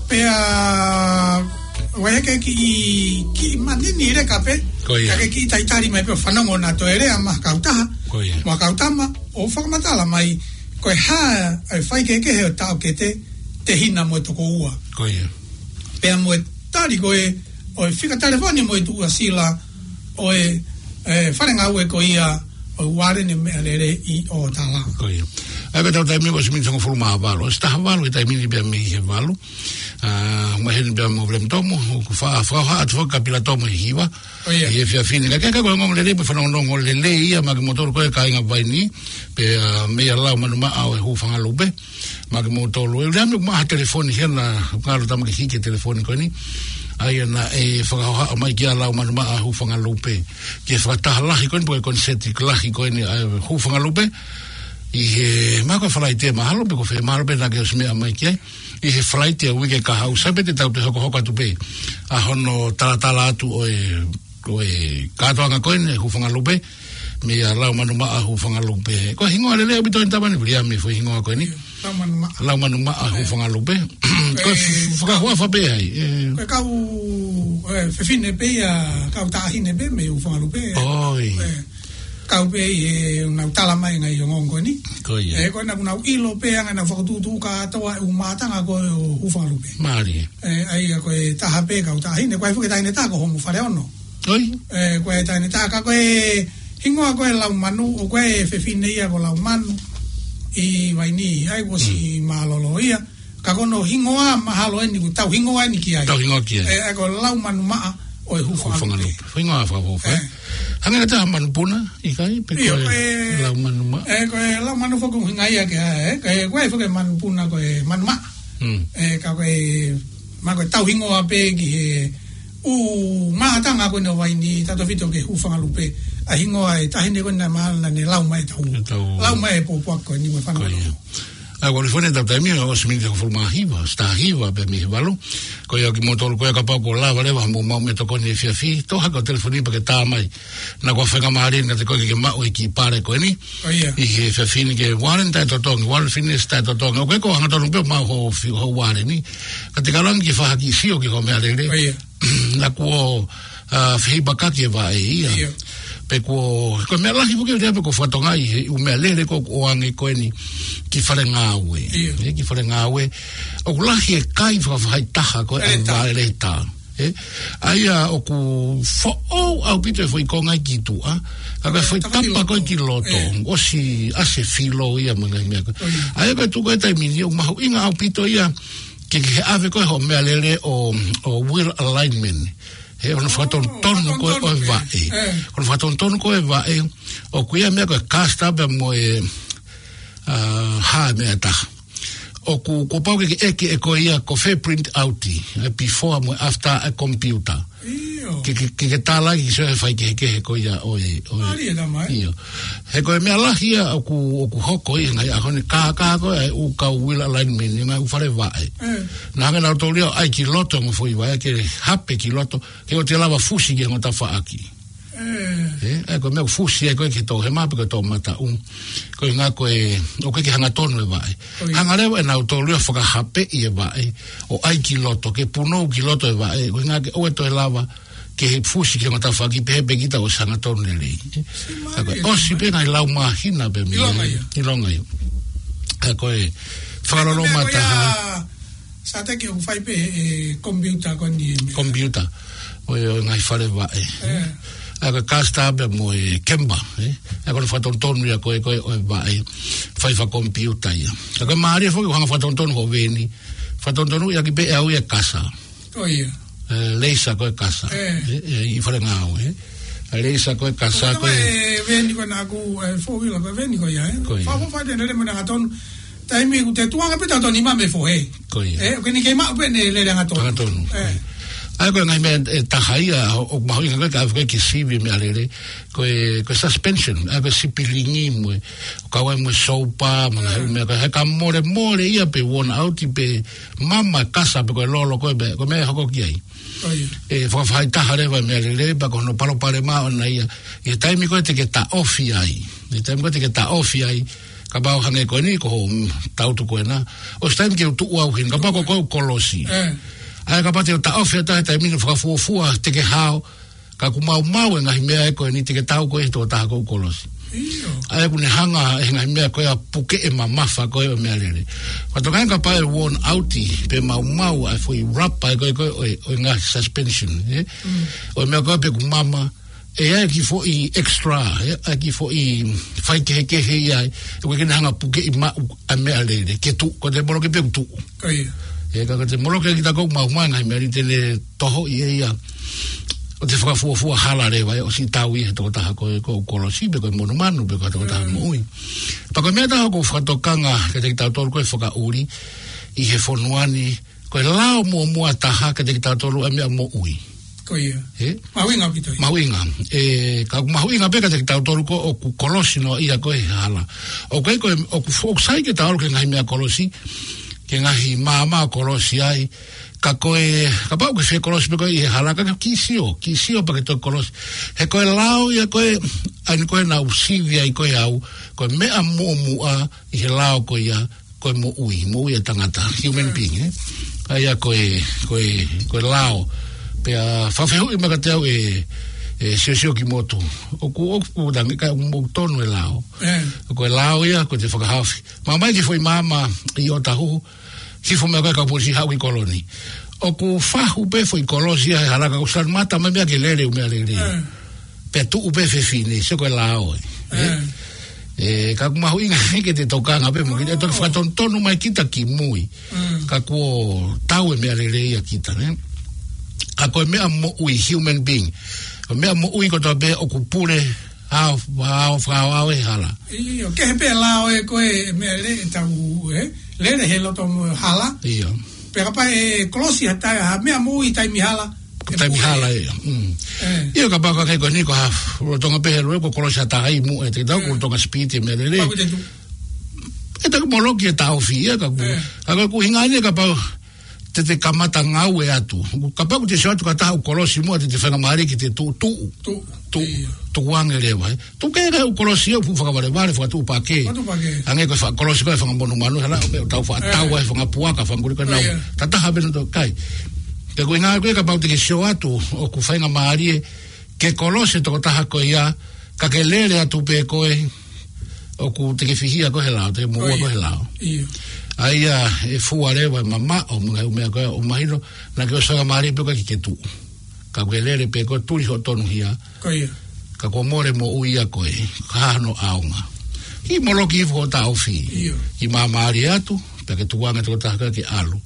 Pea Waiheke kiʻi, kiʻi manini leka pē. Ko ia. Ka ke kiʻi taitali mai pē ʻo fanongo naʻa toe lea maʻa kautaha. Ko ia. Mo e kau tama, ʻo fakamatala mai, ko e hā e faikehekehe ʻo e taʻokete, tehina mo e tokoua. Ko ia. Pea mo e tali ko ē, ʻo e fika telefoni mo e tuʻasila, ʻo e, e, fale ngāue ko ia, ʻo e Ualele Meʻalele ʻi ʻOtala. Ko ia. ʻA ia ko ʻetau taimi ko e ʻosi miniti hongofulu mā valu. ʻOsi taha valu he taimi ni pea mei he valu. Ā, maheni pea mo William Tomo, ʻoku fa-, fakahoha atu foki kia Pila Tomo ʻi he hiva. Ko ia. ʻI he efiafi ni. Ka ke ka ko e ongoongolelei, pea fanongonongo lelei ia maʻa kimoutolu ko e kāinga Vaini, pea, ā, meia Lau Manumaʻa ʻo e Hūfangalupe. Maʻa kimoutolu. ʻE lea me maʻa ha telefoni hena, ngalo tama ke hiki e telefoni ko eni. ʻA ia naʻe fakahoha mai kia Lau Manumaʻa Hūfangalupe. Ki he fakataha lahi ko eni, pe ko e koniseti lahi ko eni ʻa e Hūfangalupe. ʻI he, mahalo ko e Falaite mahalo, pe ko fē mahalo pē naʻa ke ʻosi meʻa mai ki ai. ʻI he Falaite ʻo e uike kahaʻu, sai pē te tau toe hokohoko atu pē ʻa hono talatala atu ʻo e ko e kātoanga ko eni Hūfangalupe, meia Lau Manumaʻa Hūfangalupe. Ko e hingoa lelei ʻaupito eni tama ni, Viliami, foʻi hingoa ko eni. Lau Manumaʻa. Lau Manumaʻa Hūfangalupe. Ko e, e, f-, fakahohaʻa pē ai. E, ko e kau, e, fefine pē ia, kau taʻahine pē mei Hūfangalupe. ʻOi. E, kau pē ʻi he nau tala mai ngaahi ongoongo ko eni. Ko ia. E, ko ena kuo nau ʻilo pē ʻa e ngaahi nau fakatuʻutuʻu kātoa e ʻū mātanga ko ē ʻo Hūfangalupe. Mālie. E, ʻa ia ko e taha pē kau taʻahine, ko e fuʻu taʻahine taha ko Homo Faleono. ʻOi. E, ko e taʻahine taha ka ko e hingoa ko e Laumanu, ʻo ko e fefine ia ko Laumanu ʻi Vaini, ʻa ia kuo ʻosi mālōlō ia. Ka ko hono hingoa mahalo eni, kuo tau hingoa eni ki ai. Tau hingoa ki ai. E, ʻa ia ko Lau Manumaʻa ʻo e Hūfangalupe. Hūfangalupe. Hingoa fakafoʻou. E. Hangē ko e taha manupuna, ʻikai, pe ʻIo, ko e e, Lau Manumaʻa. E, ko e Lau Manu foki ʻuhinga ia ke, e, ko e, ko e foki manupuna ko e Manumaʻa. Mm. ʻE, ka ko e, ma ko e tau hingoa pē ki he ʻū maʻatanga ko eni ʻo Vaini, tautefito ki he hūfanga lupe, ʻa e hingoa e taʻahine ko eni naʻe ma-, naʻa ne lau mai e tau. E tau. Lau mai e pōpoaki ko eni mo e fanga. Ko ia. ʻA, ʻoku ou fone tau taimi, ʻosi miniti hongofulu mā hiva, ʻosi taha hiva pē mei he valu. Ko ia kimoutolu ko ia kapau ʻoku lava leva mo mau me tokoni he efiafi, toʻo hake ho telefoni pea ke tā mai. Naʻa ko e faingamālie ʻiate koe ke ke maʻu e kiʻi pale ko eni. Ko ia. ʻI he efiafi ni ke Warren taʻetotongi, Warren Fitness taʻetotongi. ʻOku ʻikai ko e hangatonu pē ʻoku maʻu ho fi-, ho Warren ni. Ka te ke lava ke fai ha kiʻi sio ki hoʻo meʻalele. Ko ia. Naʻa kuo, ʻa, fehipakaki e vaʻe ia. Ia. Pea kuo, ko e meʻa lahi foki ia pea kuo fakatokangaʻi he ʻū meʻalele ko ē ʻoku ʻoange ko eni ki fale ngāue. Ia. ʻE, ki fale ngāue. ʻOku lahi e kai fakafaʻahitaha ko ē ʻa e Leta. Vaʻe leta. ʻE, ʻa ia ʻoku foʻou ʻaupito e foʻi konga ki tuʻa, ka ko e foʻi tapa ko ē ki loto, ʻosi ʻasi e filo ia mo e ngaahi meʻa ko ē. ʻA ia ko e tuʻu ko ē taimi ni ʻoku mahuʻinga ʻaupito ia ke, ke ʻave ko ē hoʻo meʻalele ʻo, ʻo wheel alignment. He ʻoku fakatonutonu ko ē ʻo e vaʻe. ʻOku fakatonutonu ko ē vaʻe, ʻoku ʻi ai e meʻa ko e caster pea mo e, ʻa, hā e meʻa ʻe taha. ʻOku, kuo pau ke ke ʻeke ʻe koe ia ko fē print out, ʻa e before mo e after ʻa e computer. ʻIo. Ke, ke, ke, ke tālaki ki he faikehekehe ko ia ʻo e, ʻo e. ʻIo. He ko e meʻa lahi ia ʻoku, ʻoku hoko ʻi he ngaahi ʻaho ni ka, ka ko e ʻū kau wheel alignment, ngaahi ʻū fale vaʻe. Naʻa hanga ʻe nautolu ia ʻo ʻai ki loto mo e foʻi vaʻe ke hape ki loto, ke ʻoua te lava fusi ki he ongo tafaʻaki. ʻE, ʻa ia ko e meʻa ʻoku fusi ai ko ē ki he toʻohema pe ko e toʻomataʻu. Ko e ʻuhinga ko e, ʻoku ʻikai ke hangatonu e vaʻe. Hanga leva ʻe nautolu ia ʻo fakahapeʻi e vaʻe, ʻo ʻai ki loto, ke punou ki loto e vaʻe, ko e ʻuhinga ke ʻoua toe lava ke fusi ki he ongo tafaʻaki pehē pē kita ʻoku ʻosi hangatonu lelei. ʻA ia ko e ʻosi pē ngaahi lau māhina pē mei ai. ʻIlonga ia. ʻIlonga ia. ʻA ia ko e fakaloloma taha. Sateki ʻoku fai pē he computer ko eni e meʻa. Computer. ʻO e, ʻo e ngaahi fale vaʻe. ʻA ia ko e caster pea mo e camber, ʻe. ʻA ia ko e fakatonutonu ia ko ē, ko ē ʻo e vaʻe. Fai fakakompiuta ia. ʻA ia ko e mālie foki ʻoku hanga ʻo fakatonutonu hoʻo veni. Fakatonutonu ia ki pē ʻe au ia e kasa. Ko ia. ʻE, laser ko e kasa. ʻE, ʻi fale ngāue. ʻA e laser ko e kasa ko e. Ko e veni ko ena ʻaku, ʻe, four wheeler ko e veni ko ia, ʻe. Ko ia. Fa, fa, fa, te nele mo na tonu. Taimi ʻoku te tuanga pē tau toni ma me fo, ʻe. Ko ia. ʻE, ʻoku ʻikai ke maʻu pē ʻene lele hangatonu. Hangatonu. ʻE. ʻA ia ko e ngaahi meʻa ʻe taha ia, ʻo, ʻoku mahuʻinga ko ē ke ʻave ko ē ki he sivi meʻalele, ko e, ko e suspension, ʻa ia ko e sipilingi mo e, kau ai mo e soupa, mo e ngaahi meʻa ko ē, he ka molemole ia pe worn out pe mama e kasa pe ko e lolo ko ē, pe ko e meʻa ʻe hoko ki ai. Ko ia. ʻE fakafaʻahitaha leva e meʻalele, pea ko hono palopalema ʻoʻona ia. ʻI he taimi ko ē te ke taʻofi ai. ʻI he taimi ko ē te ke taʻofi ai. Kapau hangē ko eni ko hoʻo, mm, tautu ko ena. ʻOsi taimi ke u tuʻu au heni. Kapau ko ʻeku kolosi. ʻE. ʻA ia kapau te u taʻofi atu he taimi ni fakafuofua te ke hao. Ka ʻoku maumau e ngaahi meʻa ʻe ko eni te ke tau ko ē he tokotaha ʻoku kolosi. ʻIo. ʻA ia ʻoku ne hanga he ngaahi meʻa ko ē ʻo puke e mamafa ko ē ʻo e meʻalele. Ka toka kapau ʻe worn out pe maumau ʻa e foʻi rapa ʻe ko ē ko ē ʻo e, ʻo e ngaahi suspension, ʻe? Mm. ʻO e meʻa ko ē pe ʻoku mama, ʻe ʻi ai e kiʻi foʻi extra, ʻe? ʻA e kiʻi foʻi faikehekehe ia, ʻe ʻikai ke ne hanga ʻo pukeʻi maʻu ʻa e meʻalele, ke tuʻu, ko e te moloki pē ʻoku tuʻu. Ko ia. ʻE, ka ko e te moloki kita ʻoku maumau e ngaahi meʻalele te ne toho ʻi ai ia. ʻO te fakafuofua hala leva, ʻe ʻosi tau ʻi he tokotaha ko ē ʻoku kolosi, pe ko e monumanu, pe ko e tokotaha moʻui. Pea ko e meʻa ʻe taha ʻoku fakatokanga kiate kitautolu ko e fakaʻuli, ʻi he fonua ni, ko e lao muʻomuʻa taha kiate kitautolu ʻa e meʻa moʻui. Ko ia. ʻE? Mahuʻinga ʻaupito ia. Mahuʻinga. ʻE, ka ʻoku mahuʻinga pē kiate kitautolu ko ē ʻoku kolosi noa ia ko ē he hala. ʻOku ʻikai ko e, ʻoku fo-, ʻoku sai ke tau ō ki he ngaahi meʻa kolosi, ki he ngaahi maama ʻo kolosi ai, ka ko e, kapau ʻoku ke fie kolosi pē koe ʻi he hala, ka ke kiʻi sio, kiʻi sio pea ke toe kolosi. He ko e lao ia ko ē, ʻa eni ko ē naʻa ku sivi ai ko ē au, ko e meʻa muʻomuʻa ʻi he lao ko ia, ko e moʻui, moʻui ʻa e tangata, human being, ʻe? ʻA ia ko e, ko e, ko e lao. Pea fakafehuʻi mai kiate au ʻe, ʻe Siosio Kimoto. ʻOku, ʻoku, ʻoku tangi ka ʻoku tonu e lao. ʻE. Ko e lao ia, ko e te fakahaofi. Mamahi ki he foʻi maama ʻi ʻOtahuhu, hifo mai ko ē kau polisi haʻu ki kolo ni. ʻOku fahu pē foʻi kolosi ia he hala ka ʻoku salimata mai meʻa ke lele ʻū meʻalele. ʻE. Pea tuʻu pē fefine, sio ko e lao ē. ʻE. ʻE, ka ʻoku mahuʻinga ke te tokanga pē mo kita, ʻe toki fakatonutonu mai kita ki mui. Mm. Ka kuo tau e meʻalele ia kita, ne? Ka ko e meʻa moʻui, human being. Ko e meʻa moʻui kotoa pē ʻoku pule, ʻa, ʻa, ʻa, ʻa, ʻe hala. ʻIo, kehe pē lao ē ko e meʻalele ʻe tau, ē? lele he loto mo hala. Ia. Pea kapau ʻe kolosi ha tai, ha meʻa moʻui taimi hala. Taimi hala ia. Mm. Ia kapau ko e ko eni ko ha lolotonga pē he lue ko kolosi ha taha ʻi muʻa ʻe te tau ko lolotonga speed e meʻa lele. Pau te tu. ʻE taku moloki e taʻofi ia ka ku. Ka ko e ʻuhinga eni kapau te te kamata ngāue atu. Kapau ʻoku te sio atu ka taha ʻoku kolosi muʻa te te faingamālie ke te tuʻu, tuʻu. Tuʻu. Tuʻu ange leva, ē. Tuʻu ke ka ʻoku kolosi ia ʻoku fakavalevale, fakatuʻupakē. Fakatuʻupakē. Hangē ko e fa-, kolosi ko e fanga monumanu, hala, ʻo pē ʻo tau fa-, tau ai fanga puaka, fanga kuli ko e nau. Tataha pē na to kai. Te ko e ngāue ko ē kapau te ke sio atu, ʻoku faingamālie, ke kolosi e tokotaha ko ia, ka ke lele atu pē koe, ʻoku te ke fihia koe he lao, te ke moʻua koe he lao. ʻA ia ʻe fua leva, mamaʻo, mo e ngaahi meʻa ko ē, ʻo mahino, naʻa ke ʻosi faingamālie pē koe ke ke tuʻu. Ka ke lele pē koe tuli hoʻo tonuhia. Ka ko mole moʻui ia koe, ka hano ʻaonga. Ki moloki ifo taʻofi. Ki māmālie atu, pea ke tukuange tokotaha koe ke ʻalu.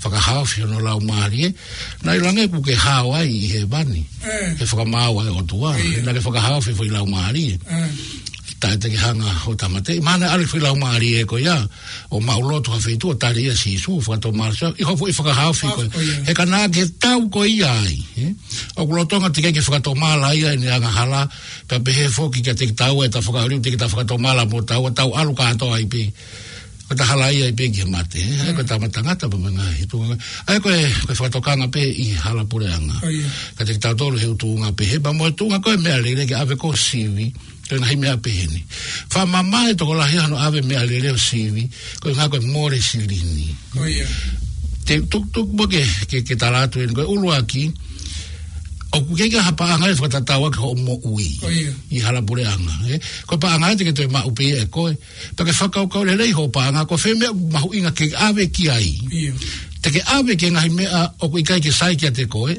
Fakahaofi hono laumālie, naʻe ʻiloange ʻoku ke hao ai ʻi hēvani. He fakamaau ʻa e ʻOtua, naʻa ke fakahaofi foʻi laumālie. Taʻe te ke hanga ʻo tāmateʻi, mahalo naʻe ʻalu foʻi laumālie ko ia, ʻo maʻu lotu ha feituʻu ʻo tali ʻa Sīsū, fakatomala ʻi hoʻo foʻi fakahaofi ko ia. He ka naʻa ke tau ko ia ai, ē? ʻOku lolotonga teʻeki ke fakatomala ia ʻene angahala, pea pehē foki kiate kitaua ʻeta fakaʻuli, teʻeki ke ta fakatomala mo taua, tau ʻalu kātoa ai pē. Ko ta hala ia ai pē ki he mate, ē? ʻA ia ko e tama tangata pē mo e ngaahi tuʻunga. ʻA ia ko e, ko e fakatokanga pē ʻi hala puleʻanga. Kiate kitautolu he ʻū tuʻunga pehē, pea mo e tuʻunga ko e meʻalele ke ʻave ko sivi, ko e ngaahi meʻa pehē ni. Fakamamae tokolahi hano ʻave meʻalele ʻo sivi, ko e ngaahi ko e mole silini. Te tukutuku mo ke, ke, ke tala atu eni, ko e ʻuluaki, ʻoku ʻikai ke ʻi ai ha paʻanga ʻe fakatatau ki hoʻo moʻui ʻi hala puleʻanga, ē? Ko e paʻanga te ke toe maʻu pē ʻe koe. Pea ke fakakaukau lelei hoʻo paʻanga, ko fē meʻa mahuʻinga ke ʻave ki ai. Te ke ʻave ki he ngaahi meʻa ʻoku ʻikai ke sai kiate koe,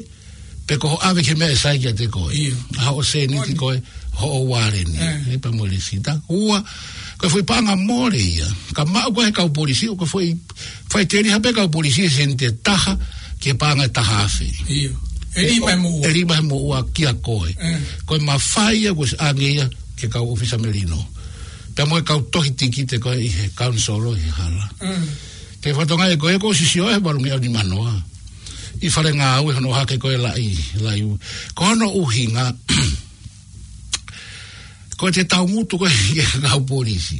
pe ko hoʻo ʻave ki he meʻa ʻe sai kiate koe. ʻA hoʻo sēniti ko ē, hoʻo ualeni. Ē, pea mo e lēsita. Ua, ko e foʻi paʻanga mole ia. Ka maʻu ko ē he kau polisi, ʻoku foʻi faʻiteliha pē kau polisi he sēniti ʻe taha, ki he paʻanga ʻe taha afe. ʻE lima he moʻua. ʻE lima he moʻua kia koe. Ko e mafai ia, ko e ʻosi ʻange ia, ki he kau ʻōfisa melino. Pea mo e kau tohi tikite ko ē ʻi he kaunisolo ʻi he hala. Ke fatongia ko ē ko e sisio he valungeau nimanoa. ʻI fale ngāue hono hake ko e laʻi, laʻi. Ko hono ʻuhinga, ko e te taumutu ko ē ki he kau polisi.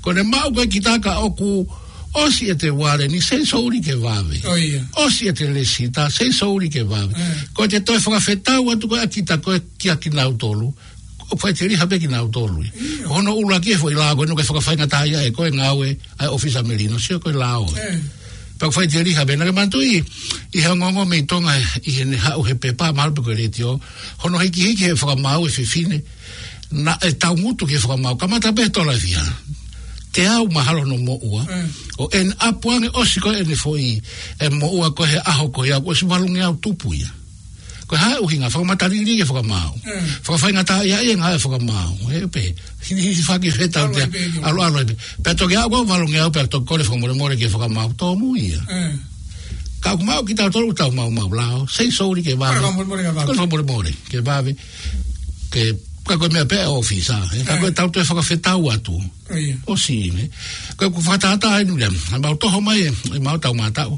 Ko ʻene maʻu ko ē kita ka ʻoku ʻosi ʻete ualeni, sei souli ke vave. ʻOsi ʻete lēsita, sei souli ke vave. Ko e te toe fakafetau atu ko ē ʻa kita ko ē kia kinautolu. ʻOku faʻiteliha pē kinautolu. Ko hono ʻuluaki e foʻi lao ko ē ʻoku fakafaingataʻaʻia ʻe koe ngāue ʻa e ʻōfisa melino, sio ko e lao ē. Pea ʻoku faʻiteliha pē naʻa ke manatuʻi, ʻi he ongoongo mei Tonga ʻi heʻene haʻu he pepa mahalo pe ko e letiō, hono hikihiki he fakamaau e fefine, naʻe taumutu ki he fakamaau, kamata pē he tola ʻe fiha. Teau mahalo hono moʻua. ʻO ʻene ʻapu ange ʻosi ko ē ʻene foʻi, e moʻua ko ē he ʻaho ko ia, ʻosi valungeau tupu ia. Ko e hā e ʻuhinga, fakamatalili e fakamaau. Fakafaingataʻaʻia e ngāue fakamaau. Ē pē, hili, hili faki he tau tea, ʻalu ai pē. Pea toki aʻu ko ē valungeau, pea toki kole fakamolemole ke fakamaau, tōmui ia. Ka ʻoku maʻu kitautolu tau maumau lao, sei souli ke vave. Kole fakamolemole ke vave. Kole fakamolemole ke vave. Ke, ka ko e meʻa pē ʻōfisa, ē, ka ko e tau toe fakafetau atu. ʻOsi, ne? Ko e ʻoku fakatātā ai nu lea, ʻa mau toho mai, ʻa mau tau mātau.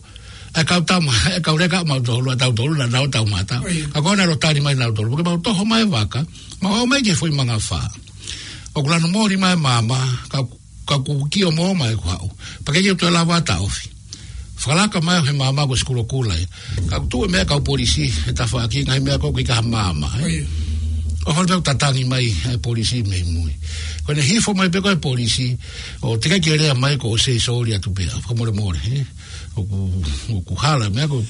ʻA e kau tama, ʻa e kau leka ʻa mau tolu, ʻa tautolu, naʻa nau tau mātau. Ka ko ena lo tali mai nautolu, ke mau toho mai vaka, mau aʻu mai ki he foʻi mangafā. ʻOku lanu moli mai māmā, ka, ka ʻoku kio mo mai kuo haʻu. Pea ke kio toe lava taʻofi. Fakalaka mai he māmā ko e sikulokula ē. Ka ʻoku tuʻu e meʻa kau polisi, he tafaʻaki, ngaahi meʻa ko ē ʻoku ʻikai ha māmā, ē. ʻO holo pē ʻoku tatangi mai, ʻa e polisi mei mui. Ko ʻene hifo mai pē ko ē polisi, ʻo teʻeki ke lea mai ko e sei souli atu pē, fakamolemole, ē. ʻOku, ʻoku hala meʻa ko ē,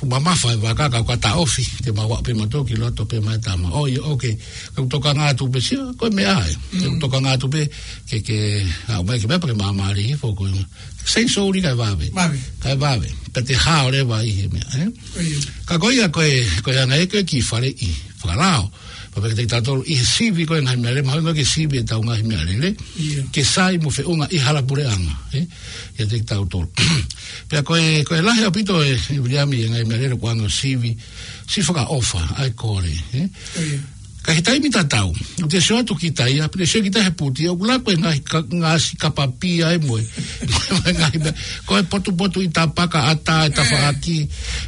ʻoku mamafa e vaka ka ʻoku ka taʻofi, te mau aʻu pē mautolu ki loto pē mai tama. ʻOi, ʻoke, ka ʻoku tokanga atu pē sio, ko e meʻa ē. Ka ʻoku tokanga atu pē, ke, ke, aʻu mai ke meʻa pē ke māmālie, fo ko e, sei souli kae vave. Kae vave. Pea te hao leva ʻi he meʻa, ē? Ka ko ia ko e, ko e anga ē ko e ki fale ʻi, fakalao. Pea pehē kiate kitautolu ʻi he sivi ko e ngaahi meʻalele, mahalo ko e ke sivi ʻetau ngaahi meʻalele. Ke sai mo feʻunga ʻi hala puleʻanga, ē? ʻIate kitautolu. Pea ko e, ko e lahi ʻaupito ē, ʻe Viliami e ngaahi meʻalele ko e anga ʻo sivi, sivi fakaʻofa, ʻa e kole, ē? Ka he taimi tatau, ʻoku te sio atu kita ia, pea te sio kita he puti, ʻoku laku e ngaahi ka-, ngaahi siʻi kapa pia ʻe moe. Ngaahi meʻa, ko e potupotuʻi tapaka, ʻatā e tafaʻaki,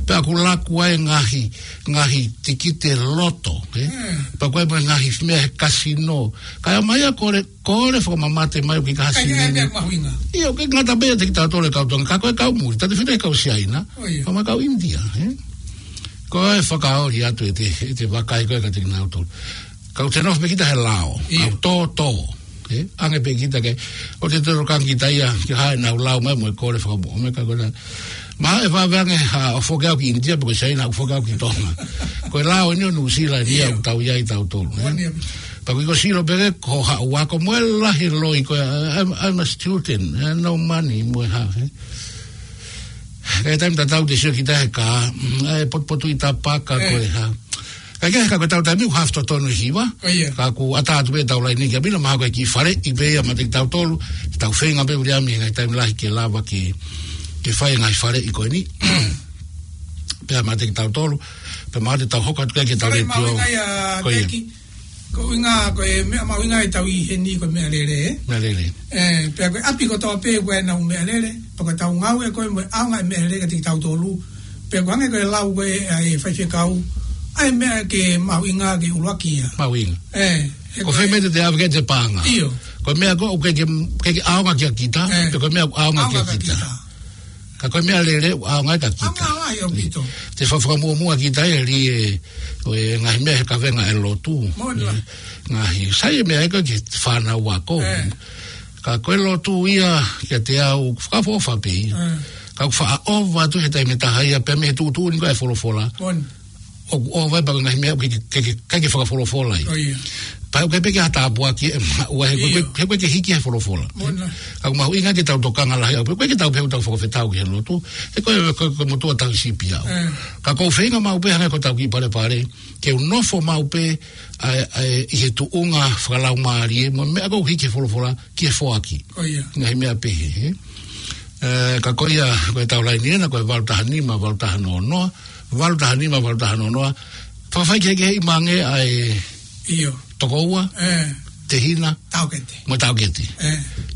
pea ʻoku laku ai e ngaahi, ngaahi tikite loto, ē? Pea ko e mo e ngaahi meʻa he kasino. Ka ʻomai ʻo kole, kole fakamamate mai ʻoku ʻikai ha sini. Ka ʻikai ha meʻa mahuʻinga. ʻIo, ʻoku ʻikai ngata pē ʻiate kitautolu e kau Tonga, ka ko e kau muli, ʻiate fine kau Siaina, ʻio, pea mo e kau ʻInitia, ē? Ko e fakaoli atu ʻete, ʻete vakai ko ē kiate kinautolu. Ka ʻoku te nofo pē kita he lao, ʻio, ʻoku tōtō, ē? ʻAnge pē kita ke, ʻoku te tokanga kita ia, ke hā ʻenau lao mai mo e kole fakamoʻoni mai ka ko e na. Mahalo ʻe vave ange ha, ʻo foki au ki ʻInitia, pe ko Siaina ʻo foki au ki Tonga. Ko e lao eni ʻo Nuʻusila eni ia, ʻio, ʻoku tau ʻi ai tautolu, ē? Moʻoni ia. Pea ko e sio pē ke ko haʻu ako mo e lahi loi ko e, I'm, I'm a student, ē, no money, mo e hā, ē? Ka he taimi tatau te sio kita he kā, mm, ʻa e potupotuʻi tapaka, ē, ko e hā. Ka ʻikai ke, ka ko e tau taimi ʻoku hafu totonu e hiva. ʻIo. Ka ʻoku ʻatā atu pē ʻetau laine ki ʻapi na, mahalo ko e kiʻi faleʻi pē ia maʻa kitautolu, tau feinga pē ʻuli ami he ngaahi taimi lahi ke lava ke, ke fai e ngaahi faleʻi ko eni. Pea maʻa kitautolu, pea mahalo te tau hoko atu ki heʻetau letiō. Faleʻi mahuʻinga ia, ko ia. Teki. Ko e ʻuhinga, ko e meʻa mahuʻinga ʻetau ʻi heni ko e meʻalele, ē? Meʻalele. Ē, pea ko e ʻapi kotoa pē ko ʻenau meʻalele, pea ko ʻetau ngāue ko ē mo e ʻaonga e meʻalele kiate kitautolu, pea ko e hangē ko e lau ko ē ʻa e faifekau, ʻa e meʻa ke mahuʻinga ke ʻuluaki ia. Mahuʻinga. Ē, he ko e fē meʻa te te ʻave ki ai ʻete paʻanga. ʻIo. Ko e meʻa ko ē ʻoku ʻikai ke, ʻikai ke ʻaonga kia kita, ē, pe ko e meʻa ʻoku ʻaonga kia kita. Ka ko e meʻalele ʻoku ʻaonga ai kia kita. ʻAonga ai ʻaupito. Te fa-, fakamuʻomuʻa kita ē, ʻi he, ʻo e ngaahi meʻa he kavenga e lotu. Moʻoni. Ngaahi, sai e meʻa ē ko e ki he fānau ako. Ē. Ka ko e lotu ia kiate au, fakaʻofoʻofa pē ia. Ē. Ka ʻoku faʻa ʻova atu he taimi ʻe taha ia, pea mei he tuʻutuʻuni ko ē e folofola. Moʻoni. ʻOku ʻova ai pea ko e ngaahi meʻa ʻoku ʻikai ke, ke, ke, ʻikai ke fakafolofola ia. ʻIo. Pea ʻoku ʻikai pē ke ha tāpuaki ʻe maʻu ai, he ko e, ʻio, he ko e ke hiki he folofola. Moʻoni. Ka ʻoku mahuʻinga ke tau tokanga lahi, ʻoku ʻikai ke tau pehē ʻoku tau fakafetaʻi ki he lotu. He ko e, ko e, ko e motuʻa tauhi sipi au. Ē. Ka ʻoku ou feinga maʻu pē hangē ko ʻetau kiʻi palepale, ke u nofo maʻu pē, ʻa e, ʻa e, ʻi he tuʻunga fakalaumālie, mo e meʻa ʻoku hiki he folofola, ki he foaki. Ko ia. Ngaahi meʻa pehē, ē? Ē, ka ko ia, ko ʻetau laine ena, ko e valu taha nima, valu taha noa noa, valu taha nima, valu taha noa noa. Fakafai kehekeheʻi mai ange ʻa e, ʻio, tokoua, ē, tehina, taʻokete. Mo e taʻokete. Ē.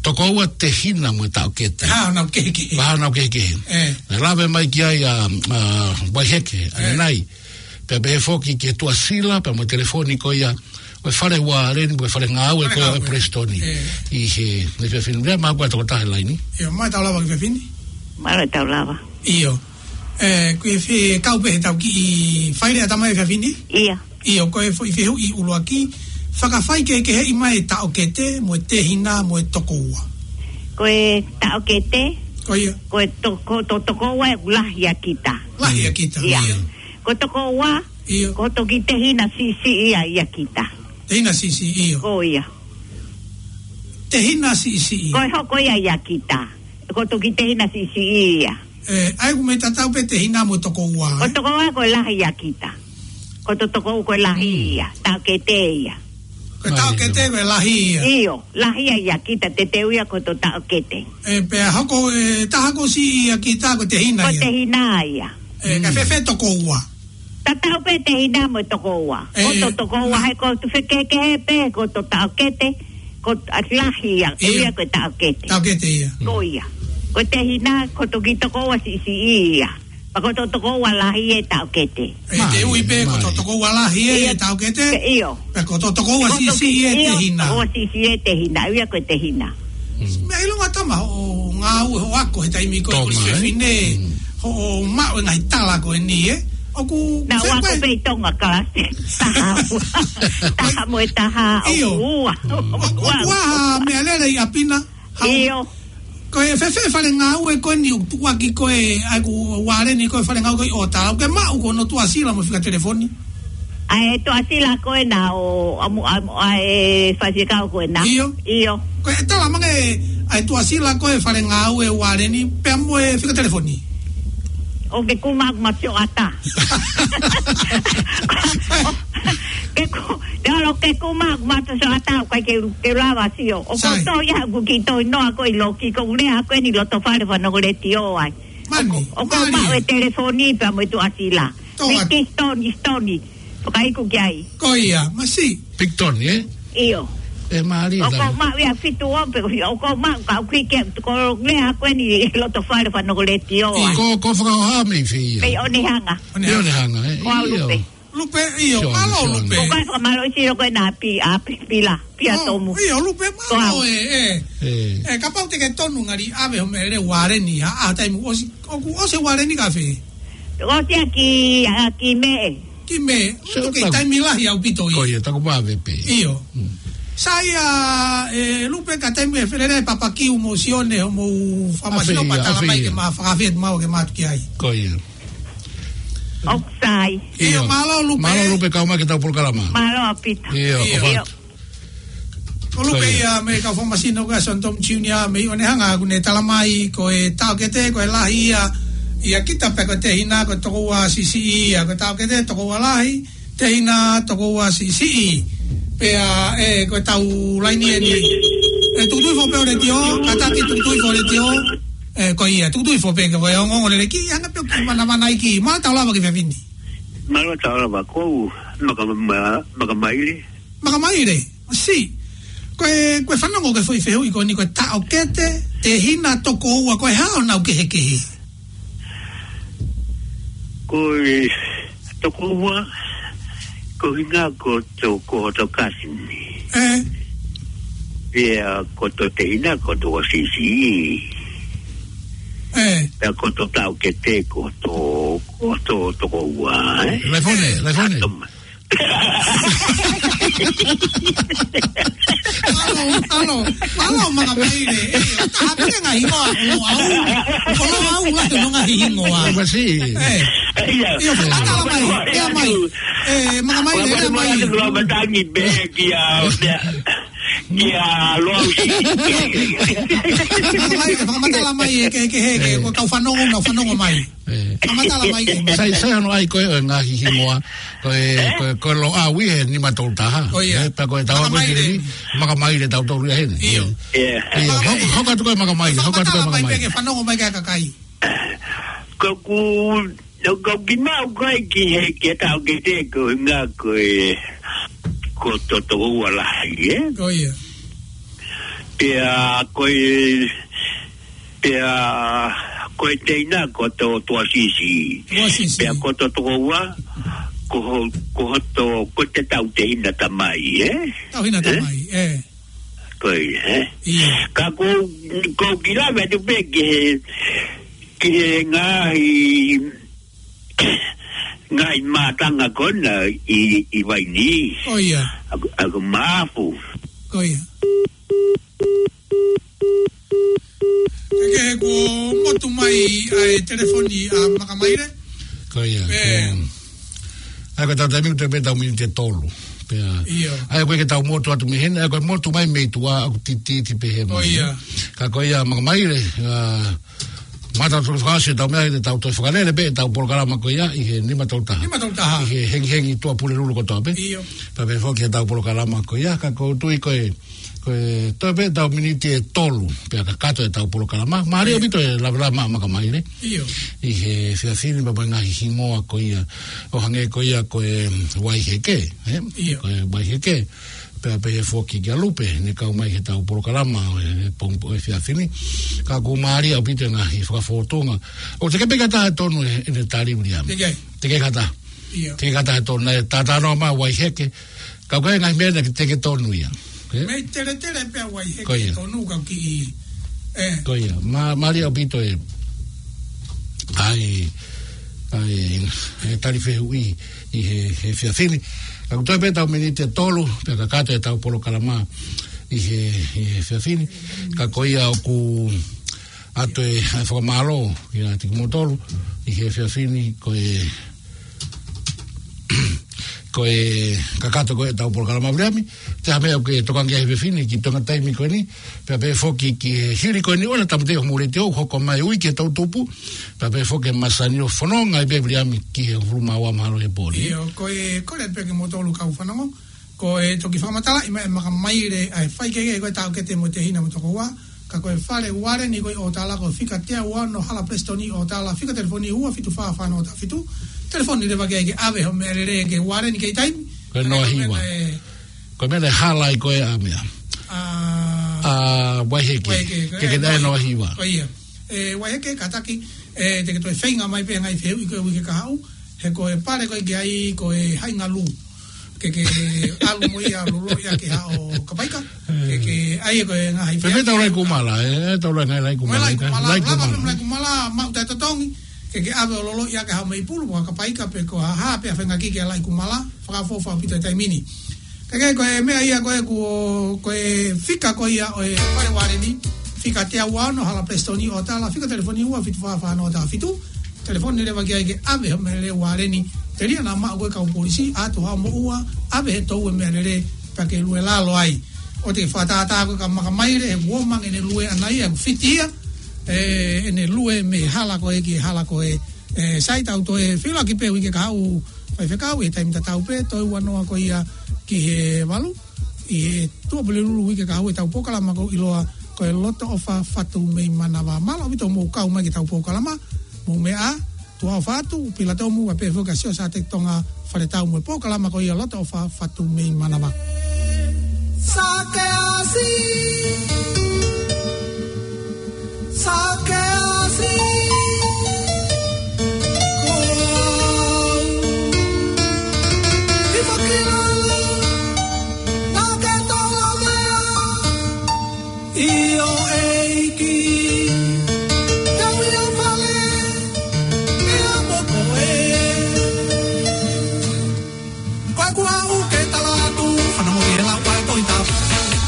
Tokoua, tehina mo e taʻokete. Pea hā honau kehekehe. Pea hā honau kehekehe. Ē. Naʻe lave mai ki ai ʻa, ʻa Vaiheke, ē, ʻanenai. Pea pehē foki ki he tuʻasila, pea mo e telefoni ko ia, ko e fale uareni, ko e fale ngāue, fale ko ia ʻo e ngāue. Prestoni. Ē. ʻI he, ne fefine, lea mai ko e tokotaha he laine. ʻIo, mālō e tau lava ki he fefine. Mālō e tau lava. ʻIo. Ē, ko e fē kau pē he tau kiʻi faileʻatā mai e fefine? ʻIo. ʻIo, ko e foʻi fehuʻi ʻuluaki, fakafai kehekeheʻi mai e taʻokete, mo e tehina, mo e tokoua. Ko e taʻokete, ko ia, ko e to-, ko e to-, tokoua ʻoku lahi ʻia kita. Lahi ʻia kita, ʻio. ʻIo. Ko e tokoua, ʻio, ko e toki tehina siʻisiʻi ia ʻia kita. Tehina siʻisiʻi, ʻio. Ko ia. Tehina siʻisiʻi. Ko e hoko ia ʻia kita. Ko e toki tehina siʻisiʻi ia. Ē, ʻa ia ʻoku mei tatau pē tehina mo e tokoua, ē? Ko e tokoua ko e lahi ʻia kita. Ko e to-, tokoua ko e lahi, mm, ia. Taʻokete ia. Ko e taʻokete ko e lahi ia. ʻIo, lahi ia ʻia kita, teuteu ia ko e to taʻokete. Ē, pea hoko, ē, taha ko siʻi ʻia kita ko e tehina ia. Ko e tehina ia. Ē, ka, mm, fēfē tokoua? Tatau pē tehina mo e tokoua. Ē. Ko e to tokoua, he ko e to fekehekehe pē, ko e to taʻokete, ko e lahi ia, ʻio, ia ko e taʻokete. Taʻokete ia. Ko ia. Ko e tehina, ko e toki tokoua siʻisiʻi ia. Pea ko e to tokoua lahi e taʻokete. Ē, te ui pē, ko e to tokoua lahi e, ʻio, taʻokete. ʻIo. Pea ko e to tokoua siʻisiʻi e, ʻio, tehina. Tokoua siʻisiʻi e tehina, ia ko e tehina. Mm. Meʻa ʻilonga tama hoʻo ngāue hoʻo ako he taimi ko ē ko e fefine, mm, hoʻo maʻu e ngaahi tala ko eni, ē? ʻOku, naʻá ku ako pē ʻi Tonga kalasi taha ua. Taha mo e taha, ʻio, ʻoku ua. ʻOku, ʻoku ua ha meʻalele ʻi ʻapi na? Hau. ʻIo. Ko e fēfē fale ngāue ko eni ʻoku tukuaki ko ē, ʻa ʻeku uareni ko e fale ngāue ko ē ʻo tala, ʻoku ke maʻu ko hono tuʻasila mo e fika telefoni? ʻA e tuʻasila ko ena ʻo, ʻa mu-, ʻa, ʻa e faifekau ko ena. ʻIo. ʻIo. Ko e tala mai ange ʻa e tuʻasila ko e fale ngāue uareni, pea mo e fika telefoni. ʻOku ke kuma ʻoku mate ʻo ʻatā. Ke ku-, te olo ke kuma ʻoku mate ʻo ʻatā, ʻoku ʻikai ke, ke lava sio. ʻOku, sai, tō ia ʻoku kiʻi tō ʻi noa ko ē ʻi loki, ko e lea ko eni loto fale fanongo letiō ai. Mani, ʻoku, ʻoku mani. Maʻu e telefoni pea mo e tuʻasila. Tō atu. Miki Stoni, Stoni. Fakaiku ki ai. Ko ia, masi. Picton, eh? ʻIo. E mālie ʻOku ou maʻu ia fitu o pe, ʻoku ou maʻu ka ʻoku ʻikai ke, ko e meʻa ko eni he loto fale fanongo letiō, ʻio. Ko, ko fakahoha mei fē ia? Mei ʻOnehanga. Mei ʻOnehanga, eh? Ko au ʻIo. Lupe. Lupe, ʻio, Sio, mālō sio. Lupe. Ko kai fakamālō ʻi siro ko e nā pi, a pi, pila, pia Oh, tomu. ʻIo, Lupe, Ko mālō au. e, e. E. E, kapau te ke tonu ngali ʻave ho meʻa lelei ualeni, a, a, taimi ʻosi, ʻoku ʻosi ualeni ka fē? ʻOsi ia ki, a, ki Mē. Ki Mē, Sio, tuku taku- taimi lahi ʻaupito ia. Ko ia, taku vave pē. ʻIo. Mm. Sai ia, e, Lupe ka taimi e felele papakiu mo Sione, homou fakamasino ʻAfeia, patala mai ʻafeia. ke ma fakafet mau ke matu ki ai. Ko ia. ʻOku sai. ʻIo, ʻIo. mālō Lupe. Mālō Lupe kau mai ki heʻetau polokalama. Mālō ʻaupito. ʻIo, ʻIo. ʻofa atu. Ko Lupe Ko ia. ia mei he kau fakamasino ko Sione Tomu Junior mei ʻOnehanga ʻoku ne tala mai ko e taʻokete ko e lahi ia, ia kita pē ko e tehina ko e tokoua siʻisiʻi ia, ko e taʻokete tokoua lahi, tehina tokoua siʻisiʻi. Pea, e, ko ʻetau laini eni. E, tukutuku hifo pē ho letiō, kātaki tukutuku hifo ho letiō. E, ko ia, tukutuku hifo pē ke ko e ongoongo lelei ki, anga pē ʻoku manamana ai ki, mālō tau lava ki he efiafi ni. Mālō tau lava, ko au, Maka-, Ma-, Makamaile. Makamaile, si. Ko e, ko e fanongo ki he foʻi fehuʻi ko eni ko e taʻokete, tehina tokoua ko e hā honau kehekehe. Ko e tokoua, ko e ʻuhinga ko hoto, ko hoto kasini. E. Pea ko hoto tehina ko hoto siʻisiʻi. E. Pea ko hoto taʻokete ko hoto, ko hoto tokoua, e. Laifone, Laifone. Atom. Alo, alo, alo, Makamaile. E, ʻoku ʻi ai pē ngaahi hingoa, ʻo au. ʻO au, ʻoku ʻi ai pē ngaahi hingoa. Masi. E. ʻIo. ʻIo, fakamatala mai, ʻea mai. E, Makamaile, ʻea mai. Ua matangi pē kia, kia Loau. Makamaile, fakamatala mai, e, ke, ke, he, ke, ko e kau fanongo, nau fanongo mai. E. Fakamatala mai, e. Sai, sai hono ʻai ko ē ʻo e ngaahi hingoa. Ko e, ko e, ko e Loʻau ʻi he nima tolu taha. Ko ia. E, pea ko e tau ko Makamaile. Makamaile tautolu ia heni. ʻIo. ʻIo. Makamaile. Hoko, hoko atu ko e Makamaile, hoko atu ko e Makamaile. Fakamatala mai pē ke fanongo mai ki ai kakai. Ko ʻeku, ko ʻeku kimaʻu ko ē ki he, ki he taʻokete ko e ʻuhinga ko e, ko hoto tokoua lahi, e? Ko ia. Pea ko e, pea ko e tehina ko hoto tuʻa siʻisiʻi. Tuʻa siʻisiʻi. Pea ko hoto tokoua, ko ho-, ko hoto, ko ʻete tauhi tehina tamai, e? Tauhi tehina E? tamai, e. Ko ia, e? ʻIo. Ka ko, ko e kiʻi lave atu pē ki he, ki he ngaahi, ngaahi mātanga ko ena ʻi, ʻi Vainī. Ko ia. ʻA, ʻa Mafu. Ko ia. Ke he kuo motu mai ʻa e telefoni ʻa Makamaile. Ko ia, E. ko ia. ʻA ia ko ʻetau taimi ʻoku toe pē ʻetau miniti ʻe tolu. Pea. ʻIo. ʻA ia ko e ke tau motu atu mei heni, ʻa ia ko e motu mai mei tuʻa ʻoku titiiti pē he Ko mai. ia. Ka ko ia Makamaile, ʻa, mata tolu fakaʻosi ʻetau meʻa, ʻetau toe fakalele pē ʻetau polokalama ko ia ʻi he nima tolu taha. Nima tolu taha. ʻI he hengihengi Tuʻapulelulu kotoa pē. ʻIo. Pea pehē foki ʻetau polokalama ko ia, ka ʻoku ou tui ko e, ko e toe pē ʻetau miniti ʻe tolu, pea kakato ʻetau polokalama. Mālie ʻaupito e lavelave maʻa Makamaile. ʻIo. ʻI he efiafi ni pea mo e ngaahi hingoa ko ia. ʻO hangē ko ia ko e Vaiheke, e? ʻIo. Ko e Vaiheke. Pea pehē foki kia Lupe, ne kau mai heʻetau polokalama, e, pongipongi efiafi ni. Ka ʻoku mālie ʻaupito e ngaahi fakafōtunga. ʻOku teʻeki pē ke ʻi ai ha taha ʻe tonu ʻe, ʻene tali Viliami. Teʻeki ai. Teʻeki ai ha taha. ʻIo. Teʻeki ai ha taha ʻe tonu, naʻe talanoa mai Vaiheke. Ka ko e ngaahi meʻa naʻe teʻeki tonu ia. E? Mei teletele pē ʻa Vaiheke Ko ia. ʻe tonu ka ʻoku kiʻi, e. Ko ia. Mā-, mālie ʻaupito e, ʻa e, ʻa e, e tali fehuʻi ʻi he, he efiafi ni. Ka ʻoku toe pē ʻetau miniti ʻe tolu, pea kakato ʻetau polokalama ʻi he, he efiafi ni. Ka ko ia ʻoku ʻoatu e, ʻa e fakamālō kiate kimoutolu ʻi he efiafi ni, ko e, ko e kakato ko ē ʻetau polokalama Viliami, te ha meʻa ʻoku ke tokanga ki ai he efiafi ni, ki he toenga taimi ko eni, pea pehē foki ki he hili ko eni ʻo e tāmateʻi homou letiō, hoko mai ui ki he tau tupu, pea pehē foki ki he masani ʻo fononga ai pē Viliami ki he hongofulu mā ua mahalo he pō ni. ʻIo, ko e, kole pē kimoutolu kau fanongo, ko e toki fakamatalaʻi mai ʻe Makamaile ʻa e faikehekehe ko e taʻokete mo e tehina mo e tokoua, ka ko e fale ualeni ko ē ʻi ʻOtala ko e fika teau ono Hala Presitoni ʻOtala, fika telefoni ua fitu fā fā noa taha fitu, Telefoni leva ke, ke ʻave hoʻo meʻalele ki he uareni ki he taimi. Ko e Noa Hiva. Ko e meʻa naʻe hala ai ko ē ʻa meʻa. ʻA, ʻa Vaiheke. Vaiheke, ko e Noa Hiva. Ke ke ʻave Noa Hiva. Ko ia. ʻE, Vaiheke, kātaki, ʻe, te ke toe feinga mai pē ngaahi fehuʻi ko ē uike kahaʻu. He ko e pale ko ē ki ai ko e Haʻingalū. Ke ke ʻalu mo ia loloʻi ʻaki haʻo kapaika. Ke ke ʻai ko e ngaahi fefeta ʻo Laikumala, ʻe, tau lai ngaahi Laikumala. Laikumala, lava pē mo Laikumala, maʻu taʻetotongi. Ke ke ʻave ʻo loloʻi ʻaki haʻo meipulu, mo e kapaika pe ko e hā pē ʻa e feinga ki he Laikumala, fakaʻofoʻofa ʻaupito he taimi ni. Ke ke ko e meʻa ia ko ē kuo, ko e fika ko ia ʻo e pale uareni, fika teau ua ono, hala Prestoni ʻo tala, fika telefoni ua fitu fā fā noa taha fitu, telefoni leva ki ai ke ʻave hoʻo meʻalele uareni, telia naʻa maʻu ko ē kau polisi, ʻatu haʻo moʻua, ʻave he toʻu e meʻalele, pea ke lue lalo ai. ʻOua te ke fakatātā ko e ka maka mai le, he uomange ʻene lue ʻana ia, ʻoku fiti ia, ʻe, ʻene lue mei he hala ko ē ki he hala ko ē, ʻe, sai tau toe fila ki pē uike kahaʻu faifekau, ʻi he taimi tatau pē, toe ua noa ko ia ki he valu, ʻi he Tuʻapulelulu uike kahaʻu ʻetau polokalama ko ē ʻiloa ko e Lotoʻofa Fatu mei Manava. Mālō ʻaupito hoʻomou kau mai ki heʻetau polokalama, mou meʻa ā, tuʻa ʻofa atu, Pilatomu, ʻa pē foki ʻa Siosiate Tonga Faletau mo e polokalama ko ia Lotoʻofa Fatu mei Manava.